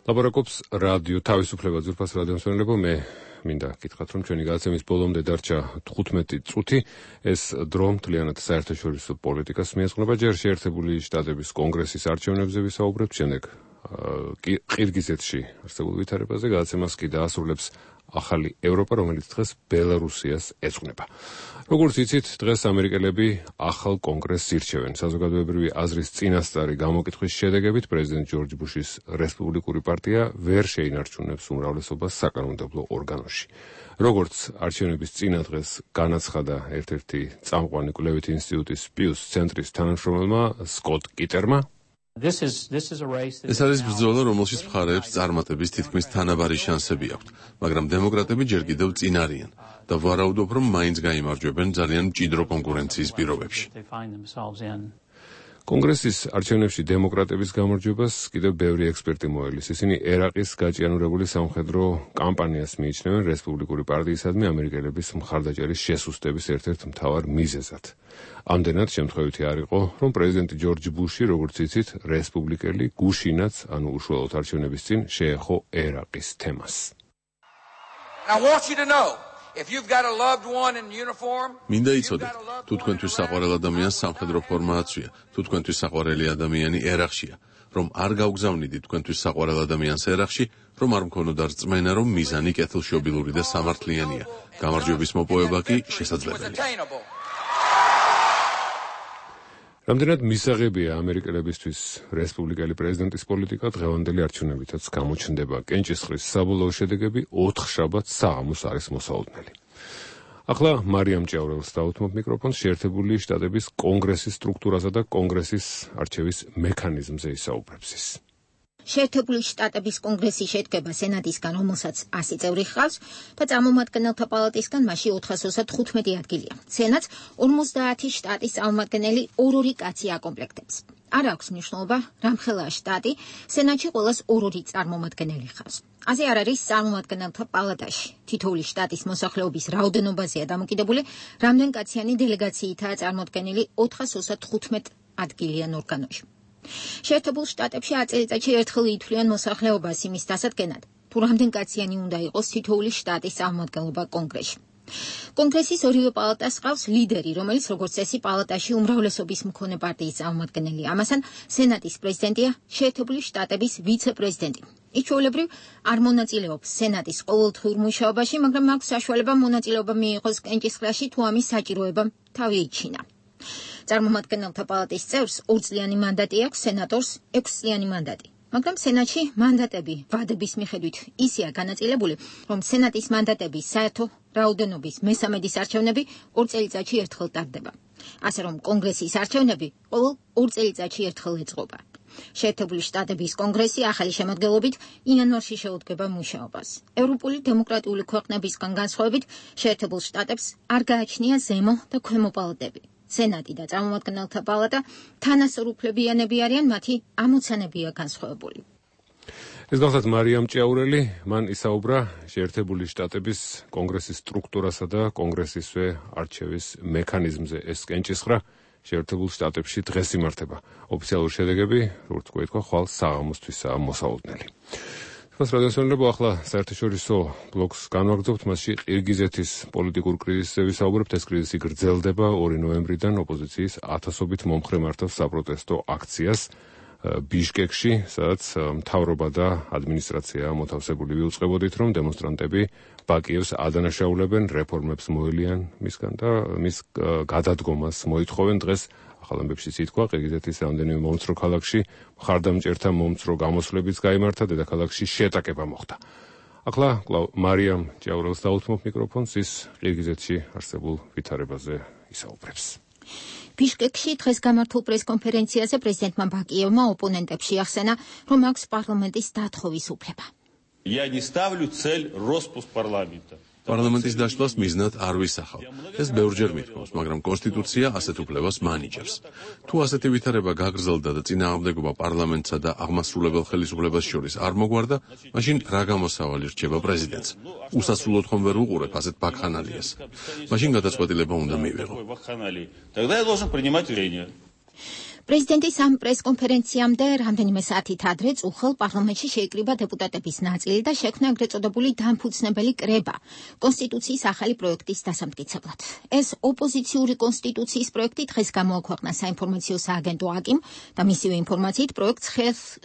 Speaker 1: ლაპარაკობს რადიო თავისუფლება ძვირფას რადიომსმენელებო, მე მინდა გითხრათ, რომ ჩვენი გადაცემის ბოლომდე დარჩა 15 წუთი. ეს დრო მთლიანად საერთაშორისო პოლიტიკას მიეძღვნება. ჯერ შეერთებული შტატების კონგრესის არჩევნებზე ვისაუბრებთ, შემდეგ ყირგიზეთში არსებულ ვითარებაზე. გადაცემას კი დაასრულებს ახალი ევროპა, რომელიც დღეს ბელარუსიას ეძღვნება. როგორც იცით, დღეს ამერიკელები ახალ კონგრესს ირჩევენ. საზოგადოებრივი აზრის წინასწარი გამოკითხვის შედეგებით პრეზიდენტ ჯორჯ ბუშის რესპუბლიკური პარტია ვერ შეინარჩუნებს უმრავლესობას საკანონმდებლო ორგანოში. როგორც არჩევნების წინა დღეს განაცხადა ერთ-ერთი წამყვანი კვლევითი ინსტიტუტის პიუს ცენტრის თანამშრომელმა სკოტ კიტერმა,
Speaker 10: ეს არის ბრძოლა, რომელშიც მხარეებს წარმატების თითქმის თანაბარი შანსები აქვთ, მაგრამ დემოკრატები ჯერ კიდევ წინ არიან და ვარაუდობ, რომ მაინც გაიმარჯვებენ ძალიან მჭიდრო კონკურენციის პირობებში.
Speaker 1: კონგრესის არჩევნებში დემოკრატების გამარჯვებას კიდევ ბევრი ექსპერტი მოელის. ისინი ერაყის გაჭიანურებული სამხედრო კამპანიას მიიჩნევენ რესპუბლიკური პარტიისადმი ამერიკელების მხარდაჭერის შესუსტების ერთ-ერთ მთავარ მიზეზად. ამდენად შემთხვევითი არ იყო, რომ პრეზიდენტი ჯორჯ ბუში, როგორც იცით, რესპუბლიკელი გუშინაც, ანუ უშუალოდ არჩევნების წინ შეეხო ერაყის თემას.
Speaker 10: მინდა იცოდეთ, თუ თქვენთვის საყვარელ ადამიანს სამხედრო ფორმა აცვია, თუ თქვენთვის საყვარელი ადამიანი ერაყშია, რომ არ გავგზავნიდით თქვენთვის საყვარელ ადამიანს ერაყში, რომ არ მქონოდა რწმენა, რომ მიზანი კეთილშობილური და სამართლიანია. გამარჯვების მოპოვება კი შესაძლებელია.
Speaker 1: რამდენად მისაღებია ამერიკელებისთვის რესპუბლიკელი პრეზიდენტის პოლიტიკა, დღევანდელი არჩევნებითაც გამოჩნდება. კენჭისყრის საბოლოო შედეგები 4 შაბათს საღამოს არის მოსაოდნელი. ახლა მარიამ ჭიაურელს დავუთმობ მიკროფონს, შეერთებული შტატების კონგრესის სტრუქტურაზე და კონგრესის არჩევის მექანიზმზე ისაუბრებს ის.
Speaker 15: შეერთებული შტატების კონგრესი შედგება სენატისგან, რომელსაც 100 წევრი ჰყავს და წარმომადგენელთა პალატისგან მასში 435 ადგილია. სენატს 50 შტატის წარმომადგენელი ორ-ორი კაცი აკომპლექტებს. არ აქვს მნიშვნელობა რამხელა შტატი, სენატში ყოველას ორ-ორი წარმომადგენელი ხავს. ასე არ არის წარმომადგენელთა პალატაში. თითოეული შტატის მოსახლეობის რაოდენობაზეა დამოკიდებული, რამდენკაციანი დელეგაციითაა წარმოდგენილი 435 ადგილიან ორგანოში. შეერთებულ შტატებში 10 წელიწადში ერთხელ ითვლიან მოსახლეობას იმის დასადგენად, თუ რამდენკაციანი უნდა იყოს თითოეული შტატის წარმომადგენლობა კონგრესში. კონგრესის ორივე პალატას ყავს ლიდერი, რომელიც როგორც წესი პალატაში უმრავლესობის მქონე პარტიის წარმომადგენელი. ამასთან სენატის პრეზიდენტია შეერთებული შტატების ვიცე-პრეზიდენტი. ის ჩვეულებრივ არ მონაწილეობს სენატის ყოველდღიურ მუშაობაში, მაგრამ აქვს საშუალება მონაწილეობა მიიღოს კენჭისყრაში, თუ ამის საჭიროება თავი იჩინა. წარმომადგენელთა პალატის წევრს 2 წლიანი მანდატი აქვს, სენატორს 6 წლიანი მანდატი. მაგრამ სენატში მანდატები ვადების მიხედვით ისეა განაწილებული, რომ სენატის მანდატების საერთო რაოდენობის მესამედის არჩევნები 2 წელიწადში ერთხელ ტარდება. ასე რომ კონგრესის არჩევნები ყოველ 2 წელიწადში ერთხელ ეწყობა. შეერთებული შტატების კონგრესი ახალი შემოდგენობით იანვარში შეუდგება მუშაობას. ევროპული დემოკრატიული ქვეყნებისგან განსხვავებით, შეერთებულ შტატებს არ გააჩნია ზემო და ქვემო პალატები. სენატი და წარმომადგენელთა პალატა თანასწორუფლებიანები არიან, მათი ამოცანებია განსხვავებული.
Speaker 1: ეს გახლავთ მარიამ ჭიაურელი, მან ისაუბრა შეერთებული შტატების კონგრესის სტრუქტურასა და კონგრესისვე არჩევის მექანიზმზე. ეს კენჭისყრა შეერთებულ შტატებში დღეს იმართება. ოფიციალური შედეგები, როგორც გვეთქვა, ხვალ საღამოსთვისაა მოსავალნელი. რადიოსმენელებო, ახლა საერთაშორისო ბლოკს განვაგრძობთ, მასში ყირგიზეთის პოლიტიკურ კრიზისზე ვისაუბრებთ. ეს კრიზისი გრძელდება 2 ნოემბრიდან ოპოზიციის 1000-ობით მომხრე მართავს საპროტესტო აქციას ბიშკეკში, სადაც მთავრობა და ადმინისტრაცია მოთავსებული ვიუწყებოდით, რომ დემონსტრანტები ბაკიევს ადანაშაულებენ, რეფორმებს მოელიან მისგან და მის გადადგომას მოითხოვენ. დღეს ახალ ამბებში ითქვა, ყირგიზეთის რამდენიმე მომცრო ქალაქში მხარდამჭერთა მომცრო გამოსვლებიც გაიმართა, დედაქალაქში შეტაკება მოხდა. ახლა მარიამ ჭიაურელს დაუთმობ მიკროფონს, ის ყირგიზეთში არსებულ ვითარებაზე ისაუბრებს.
Speaker 15: ბიშკეკში დღეს გამართულ პრესკონფერენციაზე პრეზიდენტმა ბაკიევმა ოპონენტებს შეახსენა, რომ აქვს პარლამენტის დათხოვის უფლება.
Speaker 11: Я не ставлю цель распуск парламента.
Speaker 10: პარლამენტის დაშლას მიზნად არ ვისახავ. ეს ბევრჯერ მithქვავს, მაგრამ კონსტიტუცია ასეთ უფლებას მანიჭებს. თუ ასეთი ვითარება გაგრძელდა და წინააღმდეგობა პარლამენტსა და აღმასრულებელ ხელისუფლებას შორის არ მოგვარდა, მაშინ რა გამოსავალი რჩება პრეზიდენტს? უსასრულოდ ხომ ვერ უყურებ ასეთ ბაქხანალიას? მაშინ გადაწყვეტილება უნდა მივიღო.
Speaker 11: Тогда я должен принимать решение.
Speaker 15: პრეზიდენტის ამ პრესკონფერენციამდე რამდენიმე საათით ადრე წუხელ პარლამენტში შეიკრიბა დეპუტატების ნაწილი და შექმნა ეგრეთ წოდებული დამფუძნებელი კრება კონსტიტუციის ახალი პროექტის დასამტკიცებლად. ეს ოპოზიციური კონსტიტუციის პროექტი დღეს გამოაქვეყნა საინფორმაციო სააგენტო აკიმ და მისივე ინფორმაციით პროექტს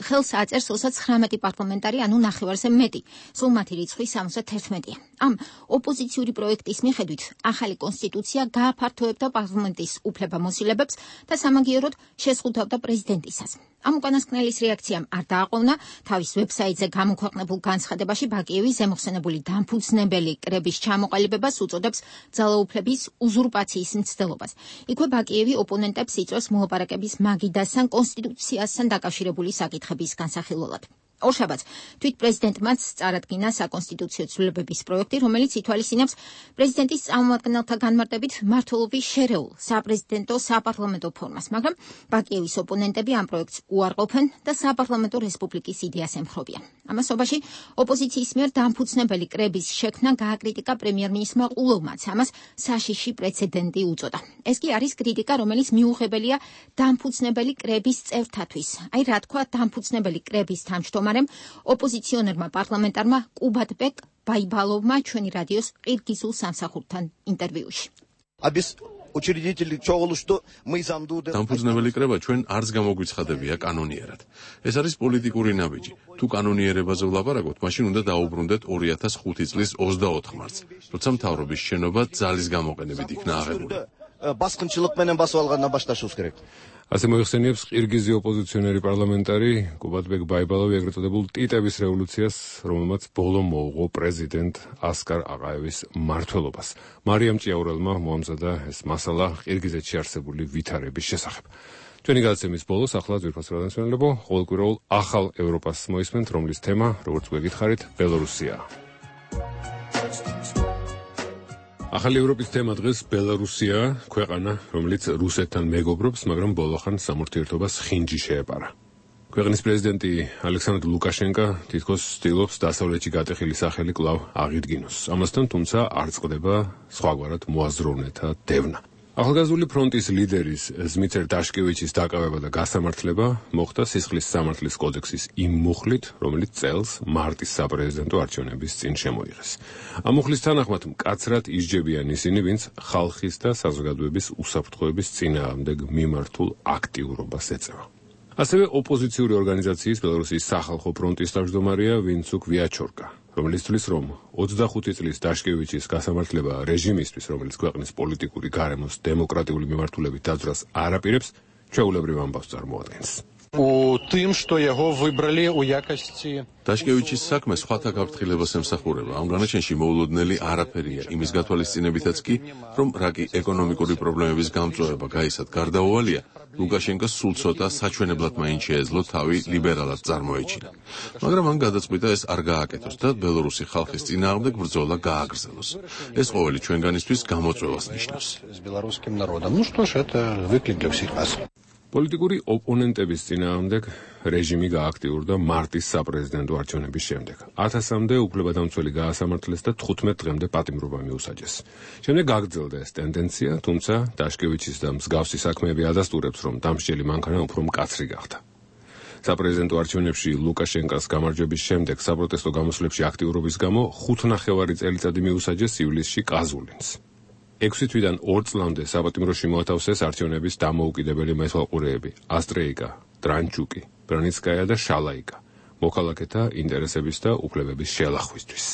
Speaker 15: ხელს აწერს 39 პარლამენტარი, ანუ ნახევარზე მეტი, სულ მათი რიცხვი 71-ია. ამ ოპოზიციური პროექტის მიხედვით ახალი კონსტიტუცია გააფართოვებდა პარლამენტის უფლებამოსილებებს და სამაგიეროდ შესხუთავდა პრეზიდენტისას. ამ უკანასკნელის რეაქციამ არ დააყოვნა. თავის ვებსაიტზე გამოქვეყნებულ განცხადებაში ბაკიევი ზემოხსენებული დამფუძნებელი კრების ჩამოყალიბებას უწოდებს ძალაუფლების უზურპაციის მცდელობას. იქვე ბაკიევი ოპონენტებს იწვევს მოლაპარაკების მაგიდასთან კონსტიტუციასთან დაკავშირებული საკითხების განსახილველად. ორშაბათს თვით პრეზიდენტმაც წარადგინა საკონსტიტუციო ცვლილებების პროექტი, რომელიც ითვალისწინებს პრეზიდენტის წარმომადგენელთა განმარტებით მმართველობის შერეულ საპრეზიდენტო საპარლამენტო ფორმას, მაგრამ ბაკიევის ოპონენტები ამ პროექტს უარყოფენ და საპარლამენტო რესპუბლიკის იდეას ემხრობიან. ამასობაში ოპოზიციის მიერ დამფუძნებელი კრების შექმნა გააკრიტიკა პრემიერ-მინისტრმა ყულოვმაც, ამას საშიში პრეცედენტი უწოდა. ეს კი არის კრიტიკა, რომელიც მიუღებელია დამფუძნებელი კრების წევრთათვის. აი რა თქვა დამფუძნებელი კრების თავმჯდომარე ოპოზიციონერმა პარლამენტარმა კუბატბეკ ბაიბალოვმა ჩვენი რადიოს ყირგიზულ სამსახურთან ინტერვიუში.
Speaker 10: დამფუძნებელი კრება ჩვენ არც გამოგვიცხადებია კანონიერად. ეს არის პოლიტიკური ნაბიჯი. თუ კანონიერებაზე ვლაპარაკობთ, მაშინ უნდა დაუბრუნდეთ 2005 წლის 24 მარტს, როცა მთავრობის შენობა ძალის გამოყენებით იქნა აღებული. ასე მოიხსენიებს ყირგიზი ოპოზიციონერი პარლამენტარი კუბატბეკ ბაიბალოვი ეგრეთ წოდებულ ტიტების რევოლუციას, რომელმაც ბოლო მოუღო პრეზიდენტ ასკარ აყაევის მმართველობას. მარიამ ჭიაურელმა მოამზადა ეს მასალა ყირგიზეთში არსებული ვითარების შესახებ. ჩვენი გადაცემის ბოლოს ახლა ძვირფას რადიოსმენელებო, ყოველკვირეულ ახალ ევროპას მოისმენთ, რომლის თემა, როგორც გვეკითხარით, ბელორუსია.
Speaker 1: ახალი ევროპის თემა დღეს ბელარუსია, ქვეყანა, რომელიც რუსეთთან მეგობრობს, მაგრამ ბოლოხან სამართლიერთობას ხინჯი შეეპარა. ქვეყნის პრეზიდენტი ალექსანდრ ლუკაშენკო თითქოს ცდილობს დასავლეთში გატეხილი სახელი კვლავ აღიდგინოს. ამასთან თუმცა არ წყდება სხვაგვარად მოაზროვნეთა დევნა. ახალგაზრდული ფრონტის ლიდერის ზმიცერ დაშკევიჩის დაკავება და გასამართლება მოხდა სისხლის სამართლის კოდექსის იმ მუხლით, რომელიც წელს მარტის საპრეზიდენტო არჩევნების წინ შემოიღეს. ამ მუხლის თანახმად მკაცრად ისჯებიან ისინი, ვინც ხალხის და საზოგადოების უსაფრთხოების წინააღმდეგ მიმართულ აქტიურობას ეწევა. ასევე ოპოზიციური ორგანიზაციის ბელარუსის სახალხო ფრონტის თავმჯდომარეა ვინცუკ ვიაჩორკა, რომელიც თვლის, რომ 25 წლის დაშკევიჩის გასამართლება რეჟიმისთვის, რომელიც ქვეყნის პოლიტიკური გარემოს დემოკრატიული მიმართულებით დაძვრას არ აპირებს, ჩვეულებრივ ამბავს წარმოადგენს.
Speaker 10: დაშკევიჩის საქმე სხვათა გაფრთხილებას ემსახურება. ამ განაჩენში მოულოდნელი არაფერია იმის გათვალისწინებითაც კი, რომ რაკი ეკონომიკური პრობლემების გამწვავება გაისად გარდაუვალია, ლუკაშენკოს სულ ცოტა საჩვენებლად მაინც შეეძლო თავი ლიბერალად წარმოეჩინა. მაგრამ მან გადაწყვიტა ეს არ გააკეთოს და ბელორუსი ხალხის წინააღმდეგ ბრძოლა გააგრძელოს. ეს ყოველი ჩვენგანისთვის გამოწვევას ნიშნავს.
Speaker 1: პოლიტიკური ოპონენტების წინააღმდეგ რეჟიმი გააქტიურდა მარტის საპრეზიდენტო არჩევნების შემდეგ. 1000-მდე უფლებადამცველი გაასამართლეს და 15 დღემდე პატიმრობა მიუსაჯეს. შემდეგ გაგრძელდა ეს ტენდენცია, თუმცა დაშკევიჩის და მსგავსი საქმეები ადასტურებს, რომ დამსჯელი მანქანა უფრო მკაცრი გახდა. საპრეზიდენტო არჩევნებში ლუკაშენკოს გამარჯვების შემდეგ საპროტესტო გამოსვლებში აქტიურობის გამო 5,5 წელიწადი მიუსაჯეს ივლისში ყაზულინს. 6 თვიდან 2 წლამდე საპატიმროში მოათავსეს არჩევნების დამოუკიდებელი მეთვალყურეები ასტრეიკა, ტრანჩუკი, ბრანიცკაია და შალაიკა, მოქალაქეთა ინტერესების და უფლებების შელახვისთვის.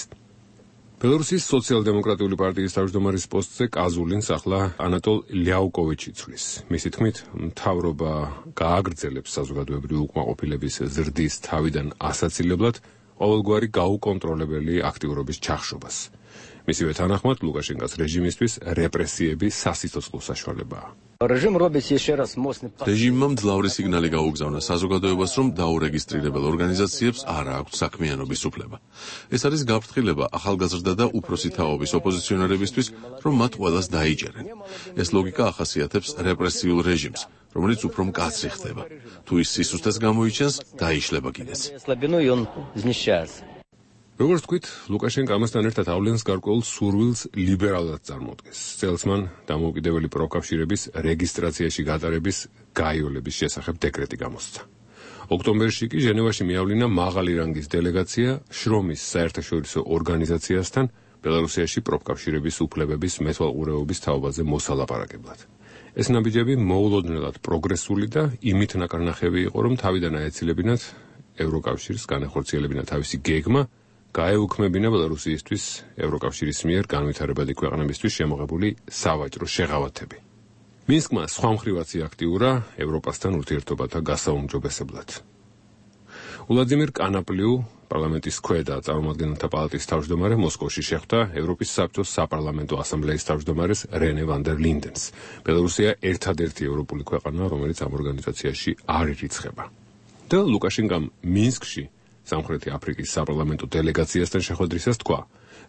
Speaker 1: ბელარუსის სოციალ-დემოკრატიული პარტიის თავმჯდომარის პოსტზე ყაზულინს ახლა ანატოლ ლიაუკოვიჩი ცვლის. მისი თქმით, მთავრობა გააგრძელებს საზოგადოებრივი უკმაყოფილების ზრდის თავიდან ასაცილებლად ყოველგვარი გაუკონტროლებელი აქტიურობის ჩახშობას. მისივე თანახმად ლუკაშენკოს რეჟიმისთვის რეპრესიები სასიცოცხლო საშუალებაა.
Speaker 10: რეჟიმმა მძლავრი სიგნალი გაუგზავნა საზოგადოებას, რომ დაურეგისტრირებელ ორგანიზაციებს არ აქვთ საქმიანობის უფლება. ეს არის გაფრთხილება ახალგაზრდა და უფროსი თაობის ოპოზიციონერებისთვის, რომ მათ ყველას დაიჭერენ. ეს ლოგიკა ახასიათებს რეპრესიულ რეჟიმს, რომელიც უფრო მკაცრი ხდება. თუ ის სისუსტეს გამოიჩენს, დაიშლება კიდეც.
Speaker 1: როგორც თქვით, ლუკაშენკო ამასთან ერთად ავლენს გარკვეულ სურვილს ლიბერალად წარმოდგეს. წელს მან დამოუკიდებელი პროკავშირების რეგისტრაციაში გატარების გაიოლების შესახებ დეკრეტი გამოსცა. ოქტომბერში კი ჟენევაში მიავლინა მაღალი რანგის დელეგაცია შრომის საერთაშორისო ორგანიზაციასთან ბელარუსიაში პროფკავშირების უფლებების მეთვალყურეობის თაობაზე მოსალაპარაკებლად. ეს ნაბიჯები მოულოდნელად პროგრესული და იმით ნაკარნახევი იყო, რომ თავიდან აეცილებინათ ევროკავშირს განახორციელებინა თავისი გეგმა, გაეუქმებინა ბელარუსისთვის ევროკავშირის მიერ განვითარებადი ქვეყნებისთვის შემოღებული სავაჭრო შეღავათები. მინსკმა სხვა მხრივაც აქტიურა ევროპასთან ურთიერთობათა გასაუმჯობესებლად. ვლადიმირ კანაპლიუ, პარლამენტის ქვედა წარმომადგენელთა პალატის თავმჯდომარე, მოსკოვში შეხვდა ევროპის საბჭოს საპარლამენტო ასამბლეის თავმჯდომარეს რენე ვან დერ ლინდენს. ბელარუსია ერთადერთი ევროპული ქვეყანა, რომელიც ამ ორგანიზაციაში არ ირიცხება. და ლუკაშენკომ მინსკში სამხრეთი აფრიკის საპარლამენტო დელეგაციასთან შეხვედრისას თქვა,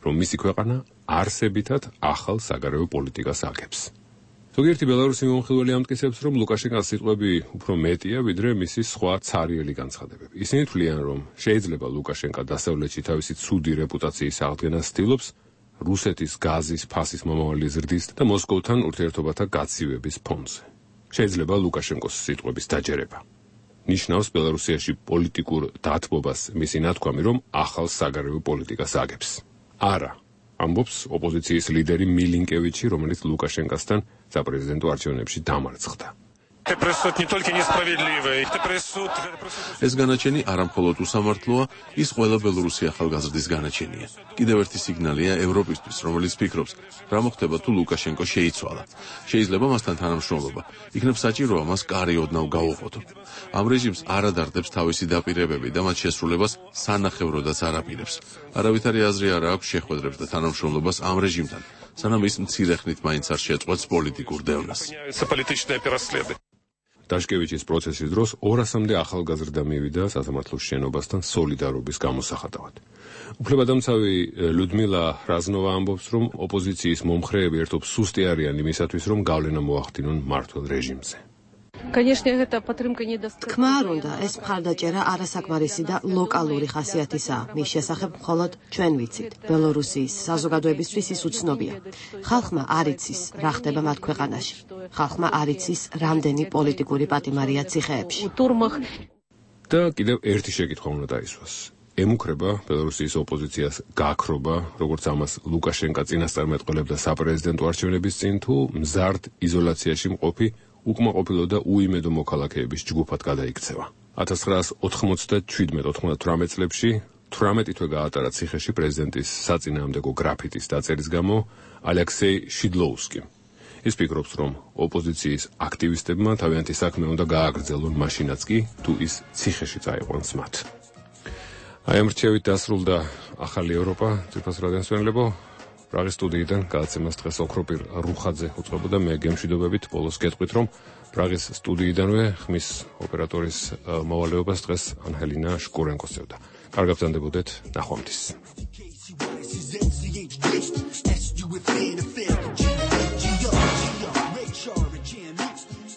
Speaker 1: რომ მისი ქვეყანა არსებითად ახალ საგარეო პოლიტიკას აგებს. ზოგიერთი ბელარუსი მომხილველი ამტკიცებს, რომ ლუკაშენკოს სიტყვები უფრო მეტია, ვიდრე მისი სხვა ცარიელი განცხადებები. ისინი თვლიან, რომ შეიძლება ლუკაშენკო დასავლეთში თავისი ცუდი რეპუტაციის აღდგენას ცდილობს რუსეთის გაზის ფასის მომავალი ზრდის და მოსკოვთან ურთიერთობათა გაცივების ფონზე. შეიძლება ლუკაშენკოს სიტყვების დაჯერება. ნიშნავს ბელარუსიაში პოლიტიკურ დათბობას მისი ნათქვამი, რომ ახალ საგარეო პოლიტიკას აგებს. არა, ამბობს ოპოზიციის ლიდერი მილინკევიჩი, რომელიც ლუკაშენკოსთან საპრეზიდენტო არჩევნებში დამარცხდა.
Speaker 10: ეს განაჩენი არამხოლოდ უსამართლოა, ის ყველა ბელორუსი ახალგაზრდის განაჩენია. კიდევ ერთი სიგნალია ევროპისთვის, რომელიც ფიქრობს, რა მოხდება თუ ლუკაშენკო შეიცვალა. შეიძლება მასთან თანამშრომლობა, იქნებ საჭიროა მას კარი ოდნავ გაუღოთ. ამ რეჟიმს არ ადარდებს თავისი დაპირებები და მათ შესრულებას სანახევროდაც არ აპირებს. არავითარი აზრი არ აქვს შეხვედრებს და თანამშრომლობას ამ რეჟიმთან, სანამ ის მცირე ხნით მაინც არ შეწყვეტს პოლიტიკურ დევნას.
Speaker 1: დაშკევიჩის პროცესის დროს 200-მდე ახალგაზრდა მივიდა სასამართლოს შენობასთან სოლიდარობის გამოსახატავად. უფლებადამცავი ლუდმილა რაზნოვა ამბობს, რომ ოპოზიციის მომხრეები ერთობ სუსტი არიან იმისათვის, რომ გავლენა მოახდინონ მმართველ რეჟიმზე.
Speaker 12: თქმა არ უნდა, ეს მხარდაჭერა არასაკმარისი და ლოკალური ხასიათისაა. მის შესახებ მხოლოდ ჩვენ ვიცით. ბელორუსიის საზოგადოებისთვის ის უცნობია. ხალხმა არ იცის, რა ხდება მათ ქვეყანაში. ხალხმა არ იცის, რამდენი პოლიტიკური პატიმარია ციხეებში.
Speaker 1: და კიდევ ერთი შეკითხვა უნდა დაისვას. ემუქრება ბელორუსიის ოპოზიციას გაქრობა, როგორც ამას ლუკაშენკა წინასწარმეტყველებდა საპრეზიდენტო არჩევნების წინ, თუ მზარდ იზოლაციაში მყოფი უკმაყოფილო და უიმედო მოქალაქეების ჯგუფად გადაიქცევა. 1997-98 წლებში 18 თვე გაატარა ციხეში პრეზიდენტის საწინააღმდეგო გრაფიტის დაწერის გამო ალექსეი შიდლოუსკიმ. ის ფიქრობს, რომ ოპოზიციის აქტივისტებმა თავიანთი საქმე უნდა გააგრძელონ მაშინაც კი, თუ ის ციხეში წაიყვანს მათ. აი ამ რჩევით დასრულდა ახალი ევროპა, ძვირფას რადიოს მშენებლებო. პრაღის სტუდიიდან გადაცემას დღეს ოქროპირ რუხაძე უწყებოდა, მე გემშვიდობებით ბოლოს გეტყვით, რომ პრაღის სტუდიიდანვე ხმის ოპერატორის მოვალეობას დღეს ანჰელინა შკურენკო წევდა. კარგად ბრძანდებოდეთ, ნახვამდის.